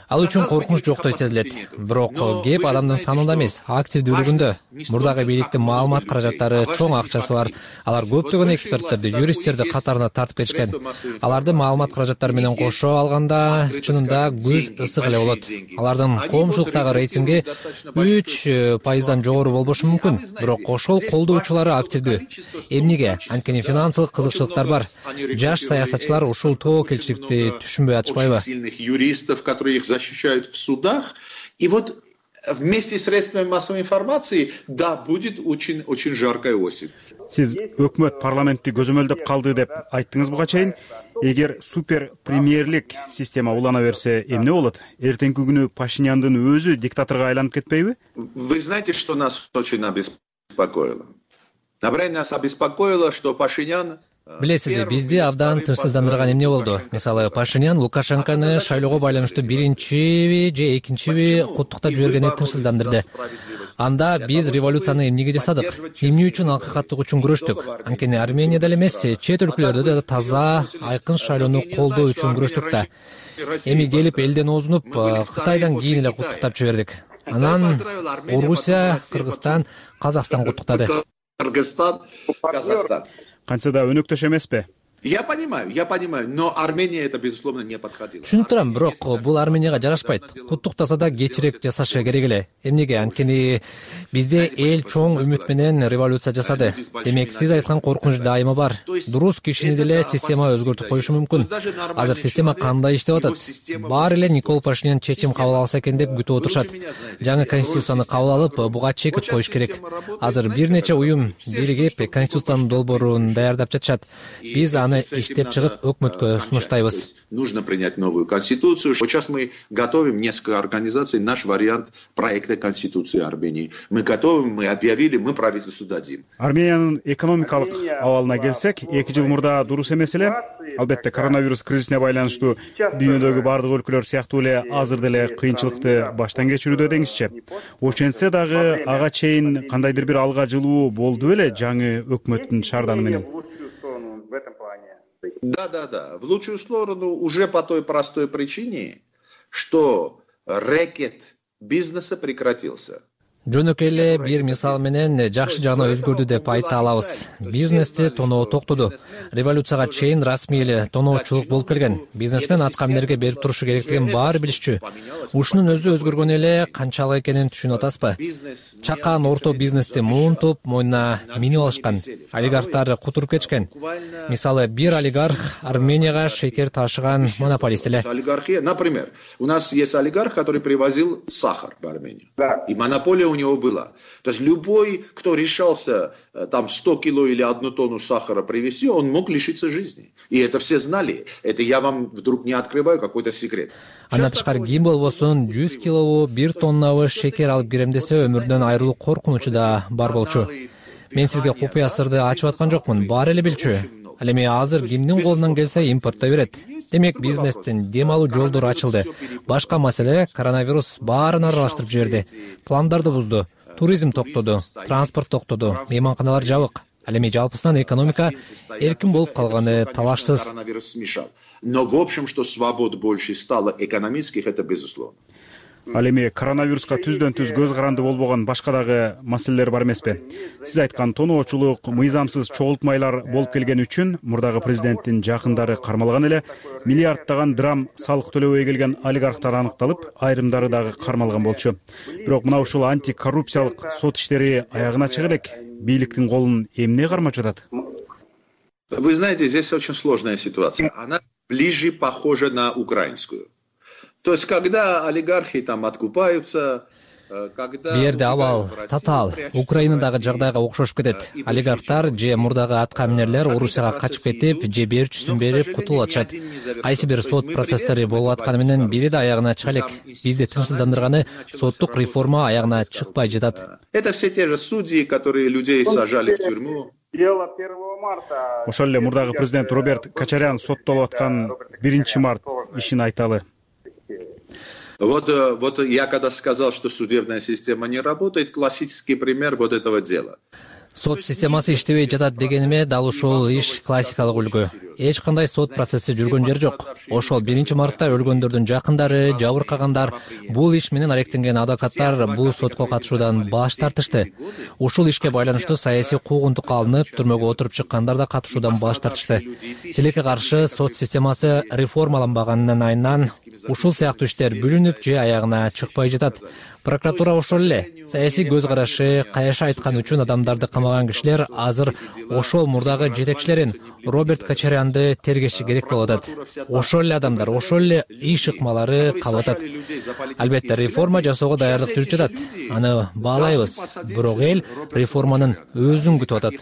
Ал үчүн коркунуч жоктой сезилет. Бирок кеп адамдын санында эмес, активдүүлүгүндө. Мурдагы бийликтин маалымат каражаттары, чоң акчасы бар. Алар көптөгөн эксперттерди, юристтерди катарына тартып кетишкен. Аларды маалымат каражаттары менен кошо алганда чынында күз ысык эле болот. Алардын коомчулуктагы рейтинги 3%дан жогору болбошу мүмкүн. Бирок ошол колдоочулары активдүү. Эмнеге? Анткени финансылык кызыкчылыктар бар. Жаш саясатчылар ушул тобокелчиликти түшүнбөй атышпайбы? Юристов, которые их защищают в судах. И вот вместе с средствами массовой информации, да, будет очень жаркая осень. Сиз өкмөт парламентти көзөмөлдөп калды деп айттыңыз буга чейин. Эгер супер премьерлик система улана берсе, эмне болот? Эртеңки күнү Пашиняндын өзү диктаторго айланып кетпейби? Вы знаете, что нас очень обеспокоило? Нас обеспокоило, что Пашинян Билесизби, бизди абдан тынчсыздандырган эмне болду? Мисалы, Пашинян Лукашенкону шайлоого байланыштуу биринчиби же экинчиби куттуктап жибергени тынчсыздандырды. Анда биз революцияны эмнеге жасадык? Эмне үчүн акыйкаттык үчүн күрөштүк? Анткени Арменияда эле эмес, чет өлкөлөрдө да таза, айкын шайлоону колдоо үчүн күрөштүк да. Эми келип элден оозунуп, Кытайдан кийин эле куттуктап жибердик. Анан Орусия, Кыргызстан, Казакстан куттуктады. Кыргызстан, Казахстан. Кантсе да өнөктөш эмеспи? Я понимаю, но Армения это безусловно не подходила. Түшүнүп турам, бирок бул Арменияга жарашпайт. Куттуктаса да кечирээк жасашы керек эле. Эмнеге? Анткени бизде эл чоң үмүт менен революция жасады. Демек, сиз айткан коркунуч дайыма бар. Дурус, кишини деле система өзгөртүп коюшу мүмкүн. Азыр система кандай иштеп атат? Баары эле Никол Пашинян чечим кабыл алса экен деп күтүп отурушат. Жаңы конституцияны кабыл алып, буга чекит коюш керек. Азыр бир нече уюм биригип конституциянын долбоорун даярдап жатышат. Биз аны иштеп чыгып өкмөткө сунуштайбыз. Нужно принять новую конституцию. Сейчас мы готовим несколько организаций наш вариант проекта конституции Армении. Мы готовим, мы объявили, мы правительству дадим. Армениянын экономикалык абалына келсек, 2 жыл мурда дурус эмес эле. Албетте, коронавирус кризисине байланыштуу дүйнөдөгү бардык өлкөлөр сыяктуу эле азыр деле кыйынчылыкты баштан кечирүүдө деңизчи. Ошентсе дагы ага чейин кандайдыр бир алга жылуу болду беле жаңы өкмөттүн шаарданы менен? Да. В лучшую сторону уже по той простой причине, что рэкет бизнеса прекратился. Жөнөкөй эле бир мисал менен жакшы жагына өзгөрдү деп айта алабыз. Бизнести тоноо токтоду. Революцияга чейин расмий эле тоноочулук болуп келген. Бизнесмен атка минерге берип турушу керектигин баары билишчү. Ушунун өзү өзгөргөн эле канчалык экенин түшүнүп атасызбы? Чакан орто бизнести муунтуп, мойнуна минип алышкан. Олигархтар кутуруп кетишкен. Мисалы, бир олигарх Арменияга шекер ташыган монополист эле. Олигархия, например, у нас есть олигарх, который привозил сахар в Армению. И монополия у него была. То есть любой, кто решался там 100 кило или 1 тонну сахара привезти, он мог лишиться жизни. И это все знали. Это я вам вдруг не открываю какой-то секрет. Андан тышкары ким болбосун 100 килобу, 1 тоннабы шекер алып кирем десе, өмүрдөн айрылуу коркунучу да бар болчу. Мен сизге купуя сырды ачып аткан жокмун, баары эле билчү. Ал эми азыр кимдин колунан келсе импорттой берет. Демек, бизнестин дем алуу жолдору ачылды. Башка маселе, коронавирус баарын аралаштырып жиберди. Пландарды бузду. Туризм токтоду, транспорт токтоду, мейманканалар жабык. Ал эми жалпысынан экономика эркин болуп калганы талашсыз. Коронавирус смешал. Но в общем, что свобод больше стало экономических, это безусловно. Ал эми коронавируска түздөн түз көз каранды болбогон башка дагы маселелер бар эмеспи? Сиз айткан тоноочулук, мыйзамсыз чогултмайлар болуп келгени үчүн мурдагы президенттин жакындары кармалган эле, миллиарддаган драм салык төлөбөй келген олигархтар аныкталып, айрымдары дагы кармалган болчу. Бирок мына ушул антикоррупциялык сот иштери аягына чыга элек, бийликтин колун эмне кармап жатат? Вы знаете, здесь очень сложная ситуация. Она ближе похожа на украинскую. То есть, когда олигархи там откупаются, Бу жерде абал татаал Украинадагы жагдайга окшошуп кетет. Олигархтар же мурдагы аткаминерлер Орусияга качып кетип, же берчүсүн берип кутулуп атышат. Кайсы бир сот процесстери болуп атканы менен бири да аягына чыга элек. Бизди тынчсыздандырганы соттук реформа аягына чыкпай жатат. Это все те же судьи, которые людей сажали в тюрьму. Ошол эле мурдагы президент Роберт Качарян соттолуп аткан 1 март ишин айталы. Вот я когда сказал, что судебная система не работает, классический пример вот этого дела. Сот системасы иштебей жатат дегениме дал ушул иш классикалык үлгү. Эч кандай сот процесси жүргөн жер жок. Ошол 1 мартта өлгөндөрдүн жакындары, жабыркагандар, бул иш менен алектенген адвокаттар бул сотко катышуудан баш тартышты. Ушул ишке байланыштуу саясий куугунтукка алынып, түрмөгө отуруп чыккандар да катышуудан баш тартышты. Тилекке каршы сот системасы реформаланбаганын айынан ушул сыяктуу иштер бүлүнүп же аягына чыкпай жатат. Прокуратура ошол эле. Саясий көз карашы, каяша айткан үчүн адамдарды камаган кишилер азыр ошол мурдагы жетекчилерин Роберт Качарянды тергеши керек болуп атат. Ошол эле адамдар, ошол эле иш ыкмалары калып атат. Албетте, реформа жасоого даярдык жүрүп жатат. Аны баалайбыз. Бирок эл реформанын өзүн күтүп атат.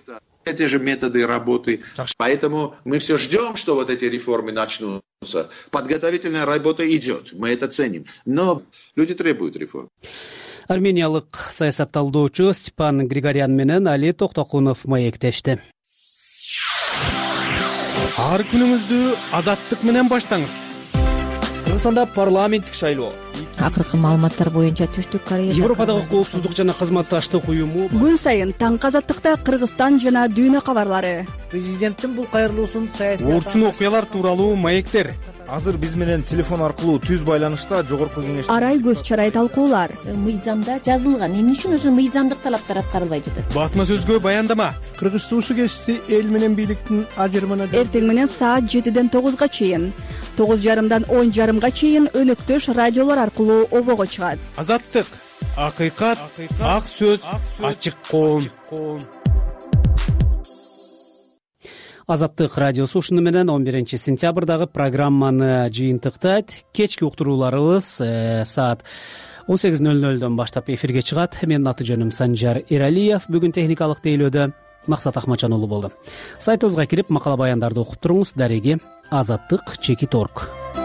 Эти же методы работы. Поэтому мы все ждем, что вот эти реформы начнутся. Подготовительная работа идет. Мы это ценим. Но люди требуют реформ. Армениялык саясатталдоочу Степан Григорян менен Али Токтокунов маектешти. ар күнүңүздү азаттык менен баштаңыз. Кыргызстанда парламенттик шайлоо. Акыркы маалыматтар боюнча Түштүк Корея Европадагы коопсуздук жана кызматташтык уюму күн сайын таңкы азаттыкта Кыргызстан жана дүйнө кабарлары. Президенттин бул кайрылуусун саясий Орчун окуялар тууралуу маектер. Азыр биз менен телефон аркылуу түз байланышта жогорку кеңеш Арай көз чарай талкуулар. Мыйзамда жазылган. Эмне үчүн ошо мыйзамдык талаптар аткарылбай жатат? Басма сөзгө баяндама. Кыргыз суу кесипти эл менен бийликтин ажырымына Эртең менен саат 7ден 9га чейин, 9:30дан 10:30га чейин өнөктөш радиолор аркылуу обого чыгат. Азаттык, акыйкат, ак сөз, ачык коом. Азаттык радиосу ушуну менен 11 сентябрдагы программаны жыйынтыктайт. Кечки уктурууларыбыз саат 18:00дөн баштап эфирге чыгат. Менин аты жөнүм Санжар Эралиев. Бүгүн техникалык тейлөөдө Максат Ахматжан уулу болду. Сайтыбызга кирип макала баяндарды окуп туруңуз. Дареги азаттык.org.